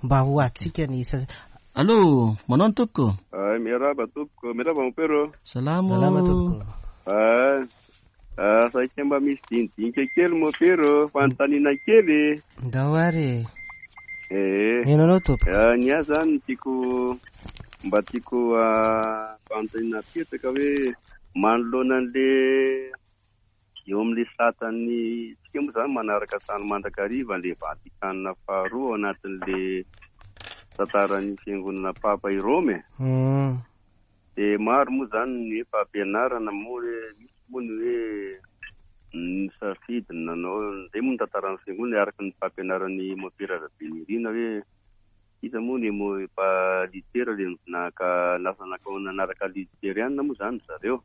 mba ho atsika ny sasa. Allô, manao ny tompoko? Ay, miarahaba tompoko, miarahaba mon père. Salamo. Salama tompoko. Ay, ah, saika mba misy dinidinika kely mon père, fanontaniana kely. Ndao ary. Eh. Mino anao tompoko. Ah, ny ahy zany tiako mba tiako, ah, fanontaniana apetraka hoe manoloana an'le eo amin'le satan'ny tsika moa zany manaraka tany mandrakariva le Vatikana faharoa ao anatin'le tantaran'ny fiangonana Papa i Roma e. Hmm. De maro moa zany ny hoe fampianarana moa hoe misy moa ny hoe ny safidy nanao zay moa ny tantaran'ny fiangonana araka ny fampianaran'ny Mompera Rabenirina hoe iza moa ny mo-, pa litera le naka lasa naka nanaraka literiana moa zany zareo.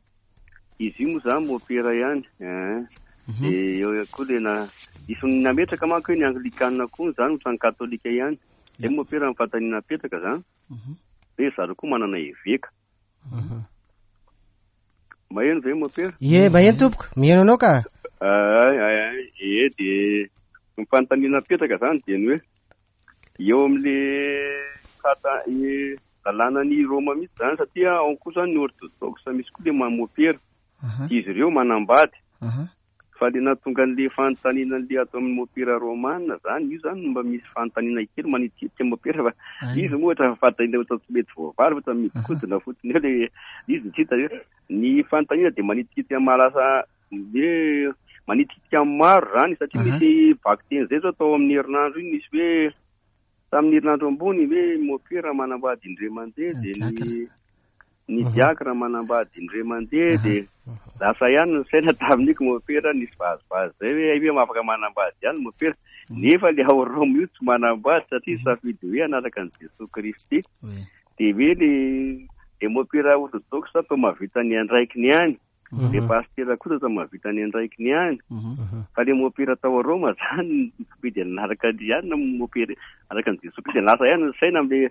Izy io moa zany Mompera ihany, hein. Mhm. De eo ihany koa le na-, isy nametraka manko hoe ny anglikana koa zany ohatran'ny katolika ihany. Zay Mompera ny fanontaniana apetraka zany. Mhm. Hoe zareo koa manana eveka. Mhm. Maheno ve Mompera? Ie, maheno tompoko. Miheno anao ka? Ay, ay, ay. Ie, de ny fanontaniana apetraka zany dia ny hoe eo amin'le kata-, e, lalànan'i Roma mihitsy zany, satria ao koa zany ny orthodoxe misy koa le mamopera. Aha. Izy ireo manambady. Aha. Fa le nahatonga an'le fanontaniana an'le atao amin'ny Mompera romana zany, io zany mba misy fanontaniana kely manitikitika Mompera fa Ay. izy moa ohatra fanontaniana ohatra tsy mety voavaly, ohatra mihodinkodina fotsiny eo le izy tsy hita hoe ny fanontaniana dia manitikitika mahalasa hoe manitikitika amin'ny maro zany, satria Aha. misy vakiteny zay zao tao amin'ny herinandro iny, nisy hoe tamin'ny herinandro ambony hoe Mompera manambady indray mandeha, dia ny Diakra. ny Mhm. diakra manambady indray mandeha, Aha. dia lasa ihany ny saina tamin'iny Mompera nisy vazivazy zay hoe hoe afaka manambady ihany Mompera, Mhm. nefa le ao Roma io tsy manambady satria Mhm. safidy hoe hanaraka an'i Jesoa Kristy. Oui. Dia hoe le, le Mompera orthodoxe atao mahavita ny andraikiny ihany, Mhm. le pastera kosa atao mahavita ny andraikiny ihany. Mhm. Fa le Mompera tao Roma zany safidy hanaraka an'i ihany na Mompera hanaraka an'i Jesoa Kristy, lasa ihany ny saina amin'le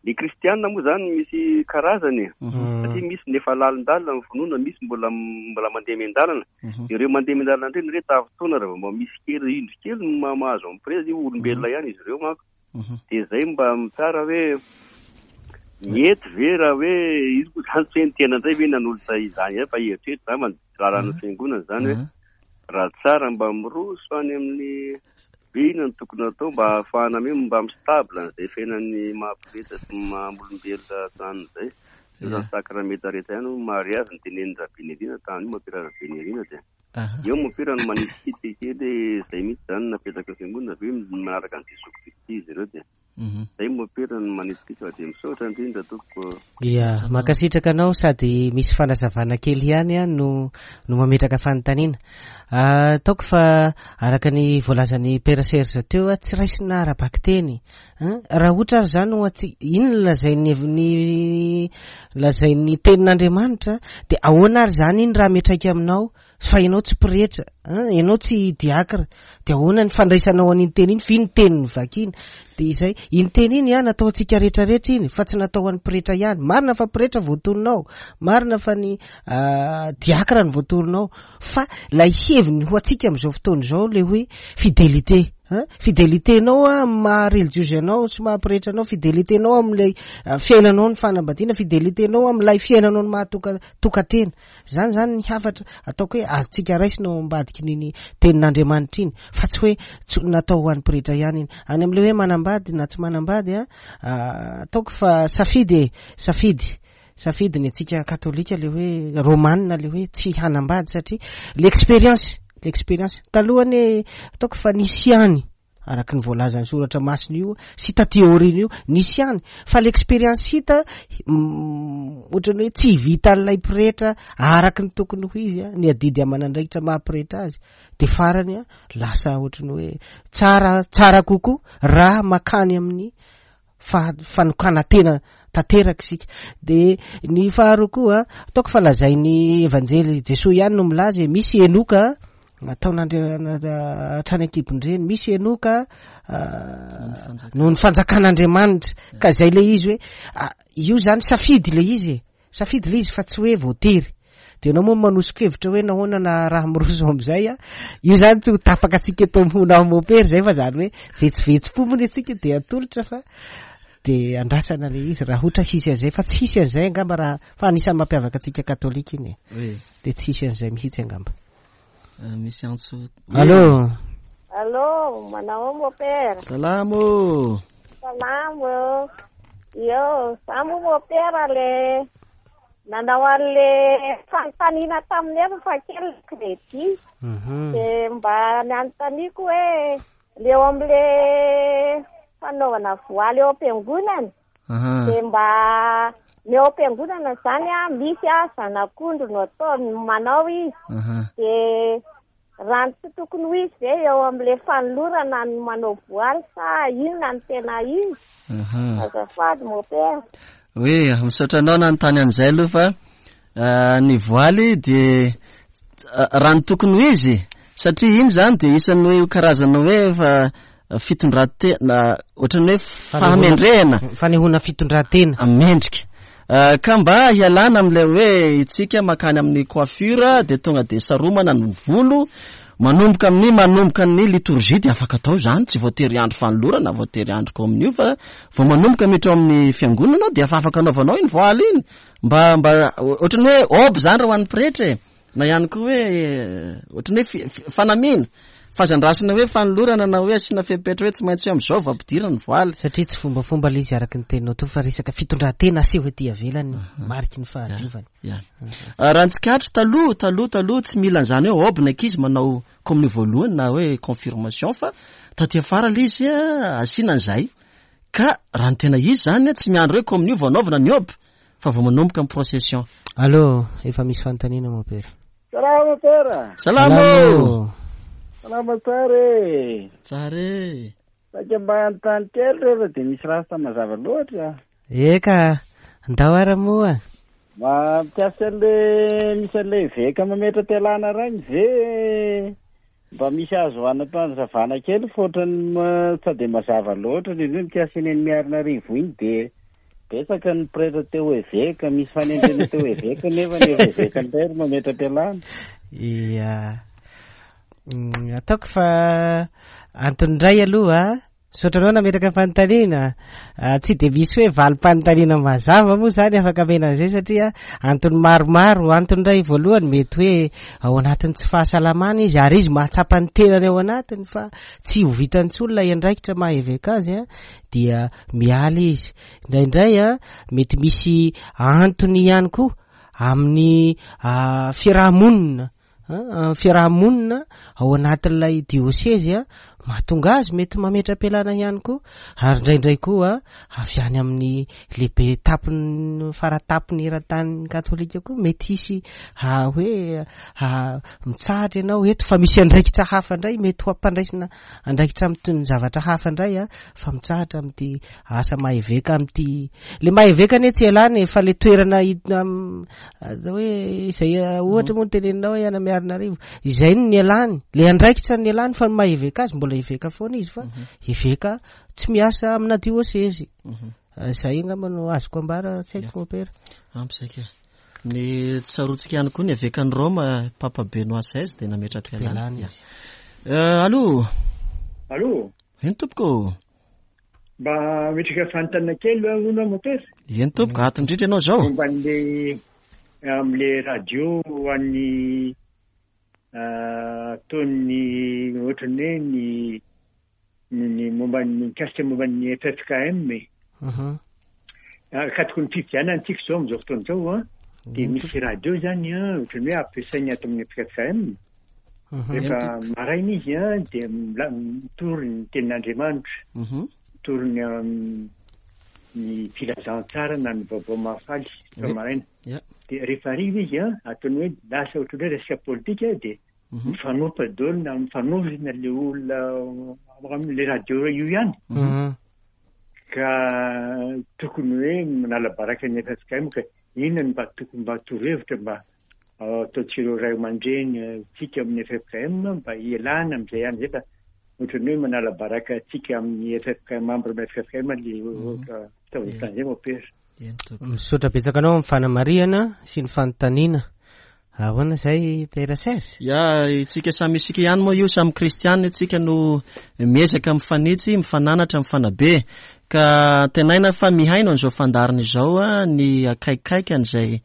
le kristianina moa zany misy karazany e. Mhm. Satria misy ny efa lalindalina ny finoana, misy mbola, mbola mandeha miandalana. Mhm. Ireo mandeha miandalana indrindra re tafintoana raha vao mba misy kely indro kely no ma-, mahazo amprezy, io olombelona ihany izy ireo manko. Mhm. Dia zay mba mitsara hoe mety ve raha hoe izy moa zany tsy hoe ny tena indray ve nanolotra izany ihany fa eritreritra zany fa ny lalàn'ny Mhm. fiangonana zany hoe Mhm. raha tsara mba miroso any amin'ny hoe inona no tokony atao mba ahafahana hoe mba mistable an'izay fiainan'ny maha-pretra sy maha-olombelona zany izay. Io zany Ya. sakramenta rehetra ihany hoy mariazy ny tenenin'i Rabenirina tamin'io Mompera Rabenirina dia. Eo mopera no manitikitika kely izay mihitsy izany napetraka fiangonana ve manaraka an'i Jesoa Kristy izy ireo dia izay mopera no manitikitika fa dia misaotra indrindra tompoko. Ia, mankasitraka anao sady misy fanazavana kely ihany a no no mametraka fanontaniana. Ataoko fa araka ny voalazan'ny Père Serge teo a, tsy raisina ara-bakiteny. Raha ohatra ary izany ho antsika, iny no lazain'ny ny lazain'ny tenin'Andriamanitra, dia ahoana ary izany iny raha miantraika aminao fa ianao tsy pretra, ianao tsy diakra, dia ahoana ny fandraisanao an'iny teny iny, fa iny teny ny vakina. Dia izay, iny teny iny a natao antsika rehetrarehetra iny, fa tsy natao an'ny pretra ihany. Marina fa pretra voatoninao, marina fa ny diakra no voatoninao, fa ilay heviny ho antsika amin'izao fotoana izao le hoe fidélité. Fidélité-nao amin'ny maha relijiozy anao sy maha pretra anao, fidélité-nao amin'ilay fiainanao ny fanambadiana, fidélité-nao amin'ilay fiainanao ny maha toka-, tokantena. Zany zany ny hafatra ataoko hoe azontsika raisina ao ambadiky n'iny tenin'Andriamanitra iny, fa tsy hoe tsy natao ho an'ny pretra ihany iny. Any amin'ilay hoe manambady na tsy manambady a, ataoko fa safidy e, safidy. Safidy ny antsika katolika le hoe romanina le hoe tsy hanambady satria l'expérience, l'expérience talohany ataoko fa nisy ihany araka ny voalazan'ny soratra masina io sy taty aoriana io nisy ihany, fa l'expérience hita ohatrany hoe tsy vitan'ilay pretra araka ny tokony ho izy a, ny adidy aman'andraikitra maha pretra azy, de farany a lasa ohatrany hoe tsara, tsara kokoa raha makany amin'ny fa-, fanokana-tena tanteraka isika. De ny faharoa koa ataoko fa lazain'ny Evanjely Jesoa ihany no milaza hoe misy Enoka nataon'Andriamanitra hatrany an-kibon-dreny, misy Enoka noho ny fanjakan'Andriamanitra. Ka zay le izy hoe, ah, io zany safidy le izy e, safidy le izy fa tsy hoe voatery. De ianao moa manoso-kevitra hoe nahoana na raha miroso amin'izay a, io zany tsy ho tapaka antsika eto amin'ny Honahona Mopera zay, fa zany hoe vetsivetsy-po moa ny antsika de atolotra fa de andrasana le izy raha ohatra hisy an'izay, fa tsy hisy an'izay angamba raha, fa anisan'ny mampiavaka antsika katolika iny e. Oui. De tsy hisy an'izay mihitsy angamba. Euh, misy antso. Allô. Allô, manao Mopera. Salamo. Salamo. Io, za moa Mopera le nanao an'le fanontaniana tamin'ny efa fa kely crédit. Mhm. De mba nanontaniako hoe le eo amin'le fanaovana voaly eo am-piangonana. Aha. De mba ny eo am-piangonana zany a, misy a zanak'ondry no atao manao izy. Aha. De raha ny tsy tokony ho izy ve eo amin'le fanolorana ny manao voaly sa inona ny tena izy? Aha. Azafady Mopera. Oui, misaotra anao nanontany an'izay aloha fa, ah, ny voaly de, ah, raha ny tokony ho izy, satria iny zany de isan'ny hoe karazana hoe fa fitondran-tena, ohatran'ny hoe fahamendrehana. Fanehoana fitondran-tena. Mendrika. Ah, ka mba hialana amin'ilay hoe itsika makany amin'ny coiffure de tonga de saromana ny volo, manomboka amin'ny, manomboka ny liturgie de afaka atao zany, tsy voatery andro fanolorana, voatery andro ko amin'io, fa vao manomboka miditra ao amin'ny fiangonana de efa afaka anaovanao iny voaly iny. Mba, mba ohatran'ny hoe obe zany raha ho an'ny pretra e, na ihany koa hoe ohatran'ny hoe fi-, fi-, fanamiana. Fa aza andrasana hoe fanolorana na hoe asiana fepetra hoe tsy maintsy hoe amin'izao vao ampidirana ny voaly. Satria tsy fombafomba ilay izy araka ny teninao teo, fa resaka fitondran-tena aseho ety ivelany, Mhm. mariky ny fahadiovana. Ya. Ah, raha ny tsikatro taloha, taloha, taloha tsy mila an'izany hoe obe ny ankizy manao communion voalohany na hoe confirmation, fa taty afara ilay izy, ah, asiana an'izay. Ka raha ny tena izy zany, tsy miandry hoe communion vao anaovana ny obe, fa vao manomboka ny procession. Allô, efa misy fanontaniana Mopera. Salama Mopera. Salama. Salama. Salama tsara e. Tsara e. Saika mba hanontany kely rehefa dia misy rasta mazava loatra. Eka, ndao ara moa. Mampiasa an'le misy an'le eveka mametra-pialana reny ve mba misy azo anam-panazavana kely fa ohatran'ny ma-, tsy dia mazava loatra ny hoe mikasika eny Miarinarivo iny dia betsaka ny pretra teo eveka, misy fanendrena teo eveka nefa ny eveka indray ro mametra-pialana. Ia. Mm, ataoko fa antony indray aloha, misaotra anao nametraka fanontaniana. Ah, tsy dia misy hoe valim-panontaniana mazava moa zany afaka amena an'izay satria antony maromaro. Antony indray voalohany mety hoe ao anatin'ny tsy fahasalamana izy ary izy mahatsapa ny tenany ao anatiny fa tsy ho vitany intsony ilay andraikitra maha eveka azy, a, dia miala izy. Indraindray, a, mety misy antony ihany koa amin'ny, ah, fiarahamonina. fiarahamonina ao anatin'ilay diosezy a mahatonga azy mety mametra-pialana ihany koa, ary indraindray koa avy any amin'ny lehibe tampony faratapony eran-tany katolika koa mety hisy hoe mitsahatra ianao eto fa misy andraikitra hafa indray, mety ho ampandraisina andraikitra amin'ny zavatra hafa indray a fa mitsahatra amin'ity asa maha-eveka amin'ity le maha-eveka anie tsy ialany fa le toerana hoe izay ohatra moa no teneninao hoe any Miarinarivo izay no nialany, le andraikitra ny nialany fa ny maha-eveka azy mbola eveka foana izy fa eveka tsy miasa amina diosezy. Zay angamba no azoko ambara, tsy haiko mopera. Ampy zay ka. Ny tsaroantsika ihany koa ny evekan'i Roma, Papa Benoît seize dia nametra-pialana. Izy. Allô? Allô? Eny tompoko. Mba metraka fanontaniana kely hono mopera. Eny tompoko, ato indrindra ianao zao. Momba an'le amin'le radio ho an'ny ataon'ny ohatran'ny hoe ny ny momba ny mikasika momba ny F F K M e. Akatoko ny fifidianana antsika izao amin'izao fotoana izao a, dia misy radio zany a, ohatran'ny hoe ampiasainy ato amin'ny F F K M. Rehefa maraina izy a, dia mitory ny tenin'Andriamanitra, mitory ny ny filazantsara na ny vaovao mahafaly rehefa maraina. Dia rehefa hariva izy a, ataony hoe lasa ohatran'ny hoe resaka politika dia mifanompa daholo na mifanovina le olona amin'le radio io ihany. Ka tokony hoe manala baraka ny F F K M ka inona no mba tokony mba torohevitra mba ataontsika ray aman-dreny tsika amin'ny F F K M mba hialana amin'izay ihany zay fa ohatran'ny hoe manala baraka tsika amin'ny F F K M, membre amin'ny F F K M le ohatra fitaovan-tany zay mopera. Misaotra betsaka anao amin'ny fanamarihana sy ny fanontaniana. Ahoana zay Père Serge? Ya, itsika samy isika ihany moa io, samy kristianina itsika no miezaka mifanitsy, mifananatra, mifanabe. Ka antenaina fa mihaino an'izao fandaharana izao a, ny akaikaiky an'izay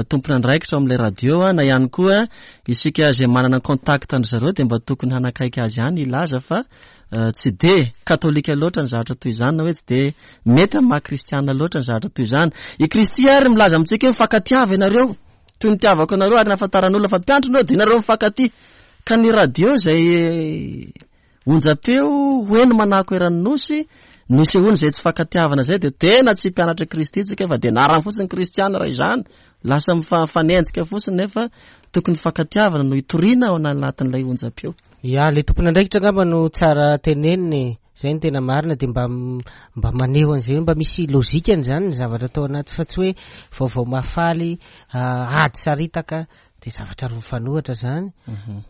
tompon'andraikitra ao amin'ilay radio a, na ihany koa isika izay manana contact an-dry zareo dia mba tokony hanakaiky azy ihany hilaza fa tsy de katolika loatra ny zavatra toy izany, na hoe tsy de mety amin'ny maha kristianina loatra ny zavatra toy izany. I Kristy ary milaza amintsika hoe mifankatiava ianareo toy ny tiavako anareo ary nahafantaran'olona fa mpiantro nareo dia nareo mifankatia. Ka ny radio izay onjam-peo ho eny manako eran'ny nosy no isehoany izay tsy fankatiavana izay dia tena tsy mpianatra Kristy tsika fa dia narany fotsiny kristiana raha izany, lasa mifanenjika fotsiny nefa tokony fankatiavana no hitoriana ao anatin'ilay onjam-peo. Ya, le tompon'andraikitra angamba no tsara teneniny, zay no tena marina, dia mba mba maneho an'izay, mba misy logikany zany ny zavatra atao anaty fa tsy hoe vaovao mahafaly ady saritaka dia zavatra roa mifanohitra zany.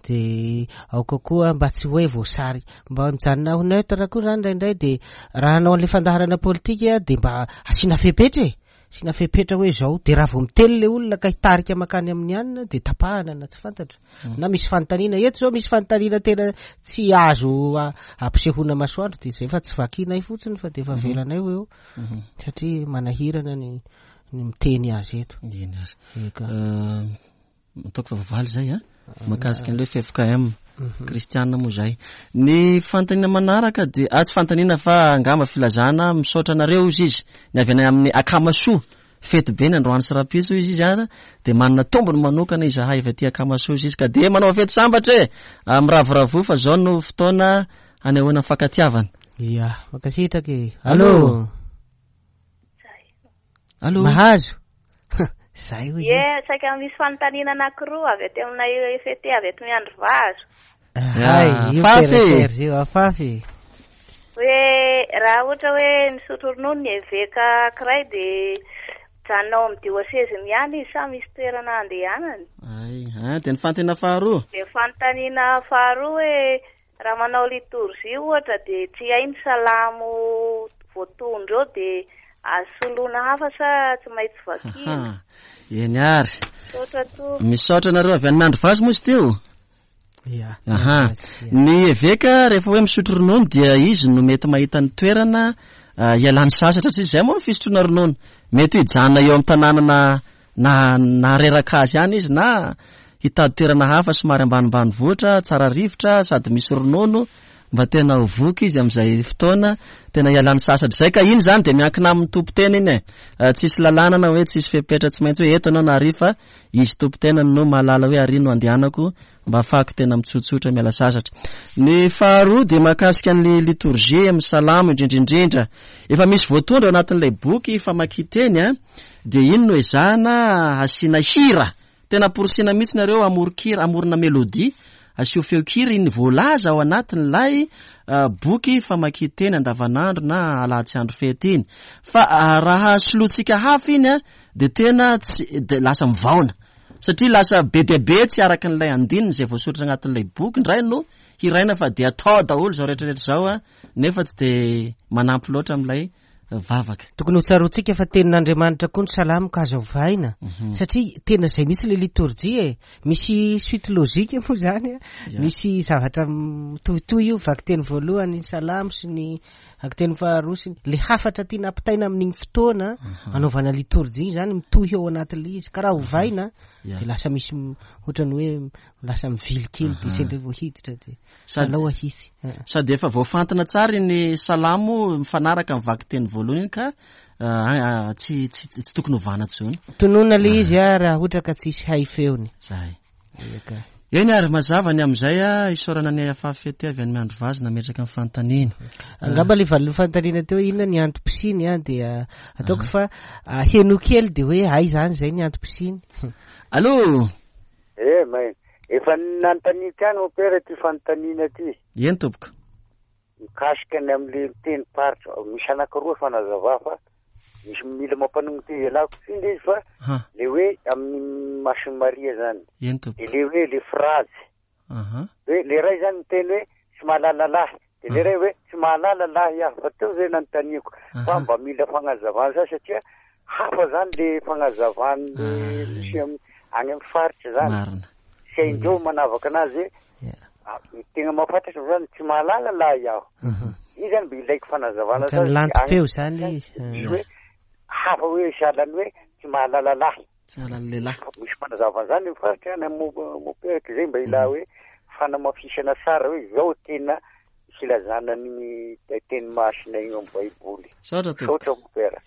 Dia aoka koa mba tsy hoe voasary, mba mijanona ho neutre koa zany indraindray, dia raha hanao an'ilay fandaharana politika dia mba asiana fepetra e, asiana fepetra hoe zao, dia raha vao miteny le olona ka hitarika mankany amin'ny hanina dia tapahana na tsy fantatra. Na misy fanontaniana eto zao, misy fanontaniana tena tsy azo ampisehoana masoandro dia zay fa tsy vakinay fotsiny fa dia efa avelanay ho eo satria manahirana ny ny miteny azy eto. Eny aza. Ataoko fa vavaly zay a, mahakasika an'ilay F F K M kristianina moa zay. Ny fanontaniana manaraka dia ah, tsy fanontaniana fa angamba filazana, misaotra anareo izy izy ny avy any amin'ny Akamasoa, fety be ny androany sy rahampitso izy izy a, dia manana tombony manokana izahay avy aty Akamasoa izy izy ka dia manao fety sambatra e, miravoravo fa zao no fotoana hanehoana fankatiavana. Ya, mankasitraka e. Allô? Allô? Mahazo? Zay hoy izy. Ye, saika misy fanontaniana anankiroa avy aty aminay F T avy eto Miandry Vazo. Ay, io Afafy. Père Serge io, afafy. Hoe raha ohatra hoe misotro ronono ny eveka anankiray dia mijanona ao amin'ny dioseziny ihany izy sa misy toerana andehanany? Ay, ah, dia ny fanontaniana faharoa. Dia fanontaniana faharoa hoe raha manao litorjia ohatra dia tsy hay ny salamo voatondro eo dia azo soloina hafa sa tsy maintsy vakiana? Eny ary. Misaotra tompoko. Misaotra anareo avy any Miandry Vazo moa izy teo? Ya. Aha. Ny eveka rehefa hoe misotro ronono dia izy no mety mahita ny toerana hialany sasatra satria izay moa ny fisotroana ronono. Mety ho hijanona eo amin'ny tanàna na, na, na reraka azy ihany izy na hitady toerana hafa somary ambanimbany vohitra, tsara rivotra sady misy ronono mba tena ho voky izy amin'izay fotoana tena hialany sasatra izay. Ka iny zany dia miankina amin'ny tompon-tena iny e. Tsisy lalàna na hoe tsisy fepetra tsy maintsy hoe eto ianao na ary, fa izy tompon-tena no mahalala hoe ary no andehanako mba ahafahako tena mitsotsotra miala sasatra. Ny faharoa dia mahakasika ny litorjia amin'ny salamo indrindrindrindra. Efa misy voatondro ao anatin'ilay boky famakian-teny a, dia iny no ezahana hasiana hira. Tena amporisiana mihitsy nareo hamoron-kira, hamorona mélodie, asio feon-kira iny voalaza ao anatin'ilay boky famakian-teny andavanandro na alahady sy andro fety iny. Fa raha solointsika hafa iny a, dia tena tsy, dia lasa mivaona. Satria lasa be dia be tsy araka an'ilay andininy izay voasoratra anatin'ilay boky indray no hiraina, fa dia atao daholo izao rehetrarehetra izao a, nefa tsy dia manampy loatra amin'ilay vavaka. Tokony ho tsaroantsika fa tenin'Andriamanitra koa ny salamo ka azo ovaina, satria tena izay mihitsy ilay litorjia e. Misy suite logique moa zany a. Misy zavatra mitohitohy io, vakiteny voalohany ny salamo sy ny vakiteny faharoa sy ny le hafatra tiana ampitaina amin'iny fotoana anaovana litorjia iny zany mitohy ao anatin'ilay izy. Ka raha ovaina, dia lasa misy m-, ohatran'ny hoe lasa mivily kely dia sendra vao hiditra dia Sady alao ahitsy. Sady efa voafantina tsara iny salamo mifanaraka amin'ny vakiteny voalohany iny ka, ah, ah, tsy, tsy, tsy tokony hovana intsony. Tonona ilay izy a, raha ohatra ka tsisy hay feony. Zay. Eka. Eny ary mazava ny amin'izay a, isaorana ny A F F T avy any Miandrivazo nametraka ny fanontaniana. Angamba ilay valin'ny fanontaniana teo inona ny antom-pisiany a, dia ataoko fa, ah, heno kely dia hoe ay zany izay ny antom-pisiany. Allô? Eh, may. Efa nanontaniana ihany mompera ity fanontaniana ity. Eny tompoko. Mikasika ny amin'ilay miteny paritra, misy anankiroa fanazava fa misy mila mampanongo teny ialako tsy indray izy fa Ha. le hoe amin'ny Masin'i Maria zany. Eny tompoko. De le hoe le phrase. Aha. Hoe le ray zany miteny hoe tsy mahalala lahy. De le ray hoe tsy mahalala lahy aho. Fa teo zay nanontaniako. Fa Aha. mba mila fagnazavana zany satria hafa zany le fagnazavan'ny Ah. misy am-, any amin'ny faritra zany. Marina. Tsy haindreo manavaka anazy hoe, Ya. ah, tena mahafantatra zany tsy mahalala lahy aho. Mhm. Iny zany mba ilaiko fanazavana Ohatran'ny zany. lantom-peo Any zany izy. Misy hoe hafa hoe sahalan'ny hoe tsy mahalala lahy. Tsy mahalala lehilahy. Misy fanazavana zany ny faritra any amin'ny mo-, moperaka izay mba ila hoe fanamafisana tsara hoe izao tena filazana ny teny masina io amin'ny Baiboly. Misaotra tompoko. Misaotra mopera.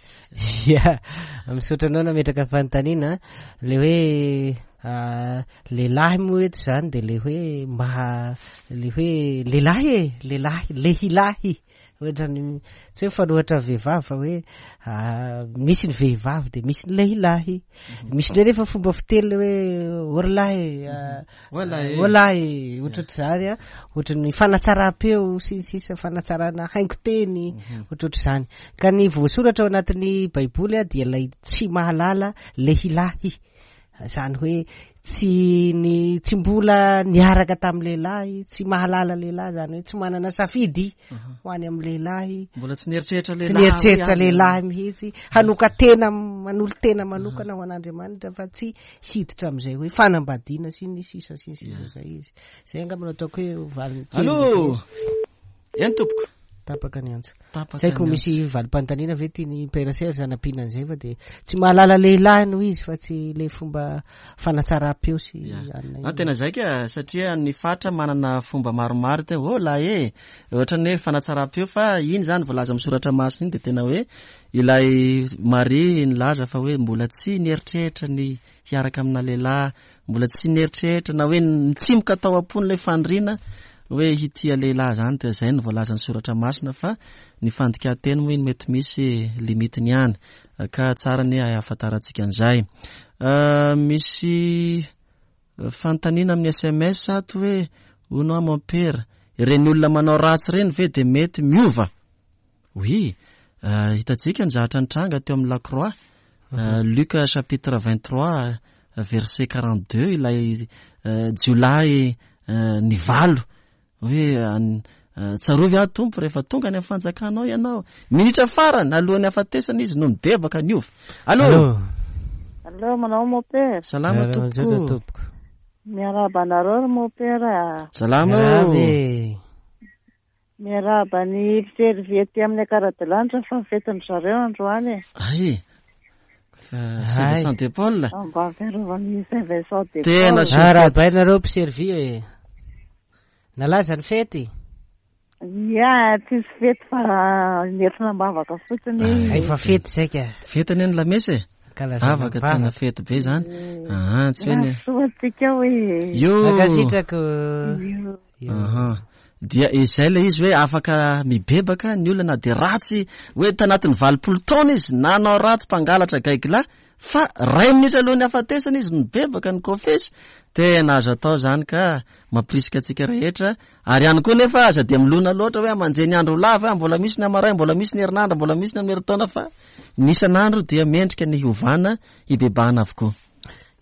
Ya, misaotra anao nametraka fanontaniana. Le hoe, ah, lehilahy moa eto zany de le hoe mba, le hoe lehilahy e, lehilahy, lehilahy. Ohatrany tsy hoe fanohatra vehivavy fa hoe, ah, misy ny vehivavy de misy ny lehilahy. Misy indray nefa fomba fiteny le hoe orlahy, ah, Oalahy. oalahy, ohatrohatr'izany a, ohatran'ny fanatsaram-peo sy ny sisa, fanatsarana haingo-teny, ohatrohatr'izany. Ka ny voasoratra ao anatin'ny Baiboly a dia ilay tsy mahalala lehilahy. Zany hoe tsy ny, tsy mbola niaraka tamin'ny lehilahy, tsy mahalala lehilahy, zany hoe tsy manana safidy Mhm. ho any amin'ny lehilahy. Mbola tsy nieritreritra Tsy lehilahy nieritreritra hoe any. lehilahy mihitsy, hanoka-tena, manolo-tena manokana ho an'Andriamanitra fa tsy hiditra amin'izay hoe fanambadiana sy ny sisa sy ny sisa Ya. zay izy. Zay angamba no ataoko hoe valiny kely Allô? zay. Eny tompoko. Tapaka ny antso. Tapaka Tsy haiko ny misy antso. valim-panontaniana ve tiany Père Serge hanampiana an'izay fa de tsy mahalala lehilahy no izy fa tsy le fomba fanatsaram-peo sy Ya. anona Ah, iny. tena zay ka, satria ny faritra manana fomba maromaro te, oh lahy e, ohatran'ny hoe fanatsaram-peo fa iny zany voalaza amin'ny soratra masina iny de tena hoe ilay Maria nilaza fa hoe mbola tsy nieritreritra ny hiaraka amina lehilahy, mbola tsy nieritreritra na hoe nitsimoka tao am-pony ilay faniriana hoe hitia lehilahy zany, de zay no voalazan'ny soratra masina fa ny fandikan-teny moa iny mety misy limitiny ihany ka tsara ny ahafantarantsika an'izay. Ah, misy fanontaniana amin'ny S M S ato hoe hono aho mompera, ireny olona manao ratsy ireny ve de mety miova? Oui, ah, hitantsika ny zavatra nitranga teo amin'ny La Croix. Ah, Luc chapitre vingt-trois verset quarante-deux, ilay, ah, jiolahy, ah, nivalo hoe, an-, ah, tsarovy aho Tompo rehefa tonga any amin'ny fanjakanao ianao. Minitra farany alohan'ny hafatesana izy no nibebaka niova. Allô? Allô? Allô, manao mompera. Salama Allô, tompoko. Zao tompoko. Miarahaba anareo ry mompera. Salama. Miarahaba e. Miarahaba ny mpiservy aty amin'ny Ankaradilanitra fa fetin-dry zareo androany e. Ay. Fa Saint Ay. Vincent de Paul. Mba fiarovan'ny Saint Vincent de Tena Paul. soa. Arahabainareo mpiservy e. Nalaza ny fety? Ia, tsisy fety fa nentina am-bavaka fotsiny. Efa fety zay ka. Fety anie ny lamesa e. Ankalazana Vavaka vavaka. tena fety be zany. Ah, tsy hoe ny Soa antsika hoe. Io. Mankasitraka. Aha. Dia izay ilay izy hoe afaka mibebaka ny olona na dia ratsy hoe tanatin'ny valopolo taona izy nanao ratsy mpangalatra gaigilahy fa ray minitra alohan'ny hafatesana izy nibebaka ny kofesy. Tena azo atao zany ka mampirisika antsika rehetra. Ary ihany koa nefa aza dia milona loatra hoe amanjeny ny andro lava, mbola misy ny amaray, mbola misy ny herinandro, mbola misy ny amin'ny herintaona, fa ny isan'andro dia mendrika ny hiovana hibebahana avokoa.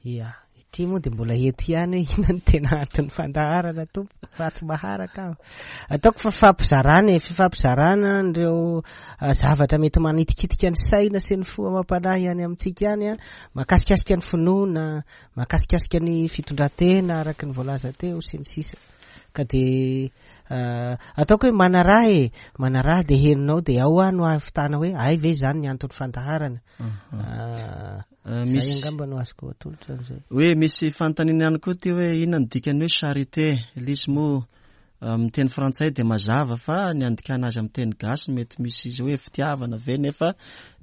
Ia, ity moa dia mbola eto ihany hoe inona no tena anton'ny fandaharana tompoko fa tsy maharaka aho. Ataoko fa fifampizarana e, fifampizarana an'ireo, ah, zavatra mety manitikitika ny saina sy ny fo amam-panahy any amintsika any, ah, mahakasikasika ny finoana, mahakasikasika ny fitondran-tena araka ny voalaza teo sy ny sisa. Ka dia, ah, ataoko hoe manaraha e, manaraha dia henonao dia ao aho no ahavitana hoe ay ve izany ny anton'ny fandaharana. Ah, Ah, zay misy angamba no azoko atolotra an'izay. Hoe misy fanontaniana ihany koa ty hoe inona ny dikan'ny hoe charité. Ilay izy moa amin'ny teny frantsay dia mazava fa ny andikana azy amin'ny teny gasy mety misy izy hoe fitiavana ve, nefa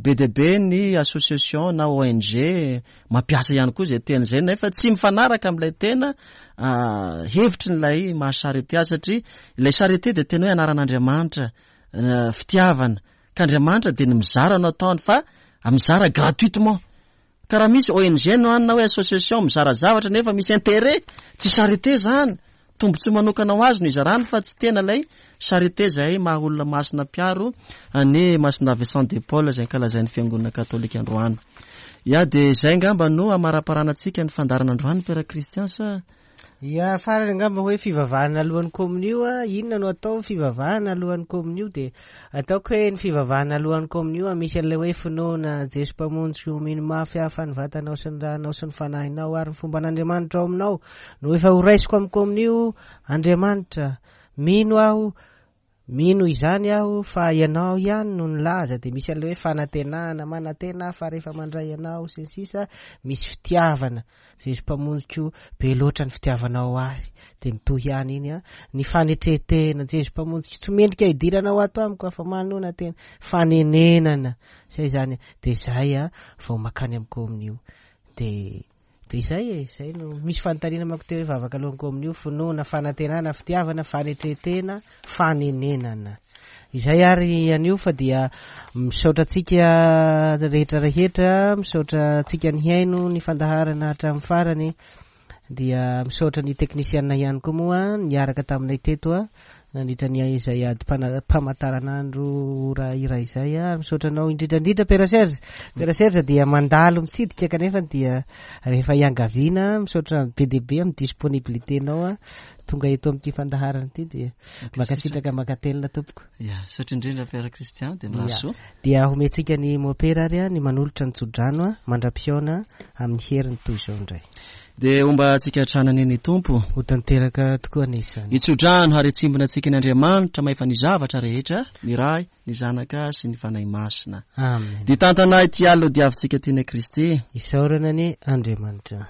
be dia be ny association na O N G mampiasa ihany koa izay teny izay, nefa tsy mifanaraka amin'ilay tena, ah, hevitry n'ilay maha charité azy, satria ilay charité dia tena hoe anaran'Andriamanitra, ah, fitiavana, ka Andriamanitra dia ny mizara no ataony fa mizara gratuitement. Ka raha misy O N G no any na hoe association mizara zavatra nefa misy intérêt, tsy charité zany. Tombontsoa manokana ho azy no izarany fa tsy tena ilay charité zay maha olona masina mpiaro ny Masina Vincent de Paul izay ankalazain'ny Fiangonana Katolika androany. Ia, dia izay angamba no hamaraparanantsika ny fandaharana androany, Père Christian, sa? Ia, farany angamba hoe fivavahana alohan'ny komonio, a, inona no atao fivavahana alohan'ny komonio? Dia ataoko hoe ny fivavahana alohan'ny komonio, a, misy an'ilay hoe finoana Jesoa Mpamonjy sy mino mafy aho fa ny vatanao sy ny ranao sy ny fanahinao ary ny fomban'Andriamanitra ao aminao no efa horaisiko amin'ny komonio. Andriamanitra, mino aho, mino izany aho fa ianao ihany no nilaza. Dia misy an'ilay hoe fanantenana, manantena fa rehefa mandray ianao sy ny sisa. Misy fitiavana, Jesoa Mpamonjiko, be loatra ny fitiavanao ahy. Dia mitohy ihany iny, a. Ny fanetretena, Jesoa Mpamonjiko, tsy mendrika hidiranao ato amiko fa manona tena. Fanenenana, zay zany. Dia zay, a, vao makany amin'ny komonio. Dia dia izay e, izay no misy fanontaniana manko teo hoe vavaka alohan'ny komonio, finoana, fanantenana, fitiavana, fanetretena, fanenenana. Izay ary anio fa dia misaotra antsika rehetra rehetra, misaotra antsika nihaino ny fandaharana hatramin'ny farany. Dia misaotra ny teknisiana ihany koa moa niaraka taminay teto, a, nandritra ny izay ady-pana-, mpamataranandro ora iray izay, a. Misaotra anao indrindra indrindra Père Serge. Père Serge dia mandalo mitsidika kanefa dia rehefa iangaviana, misaotra be dia be amin'ny disponibilité-nao, a, tonga eto amin'ity fandaharana ity. Dia mankasitraka mankatelina tompoko. Ya, misaotra indrindra Père Christian, dia mirary Ya. soa. Dia homentsika ny mopera ary, a, ny manolotra ny tsodrano, a, mandra-pihaona amin'ny heriny toy izao indray. Dia homba antsika hatrany ny Tompo. Ho tanteraka tokoa anie izany. Ny tsodrano ary hitsimbina antsika ny Andriamanitra mahefa ny zavatra rehetra, ny Ray, ny Zanaka sy ny Fanahy Masina. Amen. Dia tantana ity alina diavintsika tiana Kristy. Isaorana anie Andriamanitra.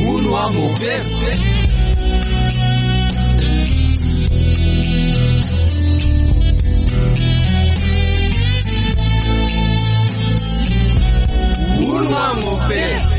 Uno a mover.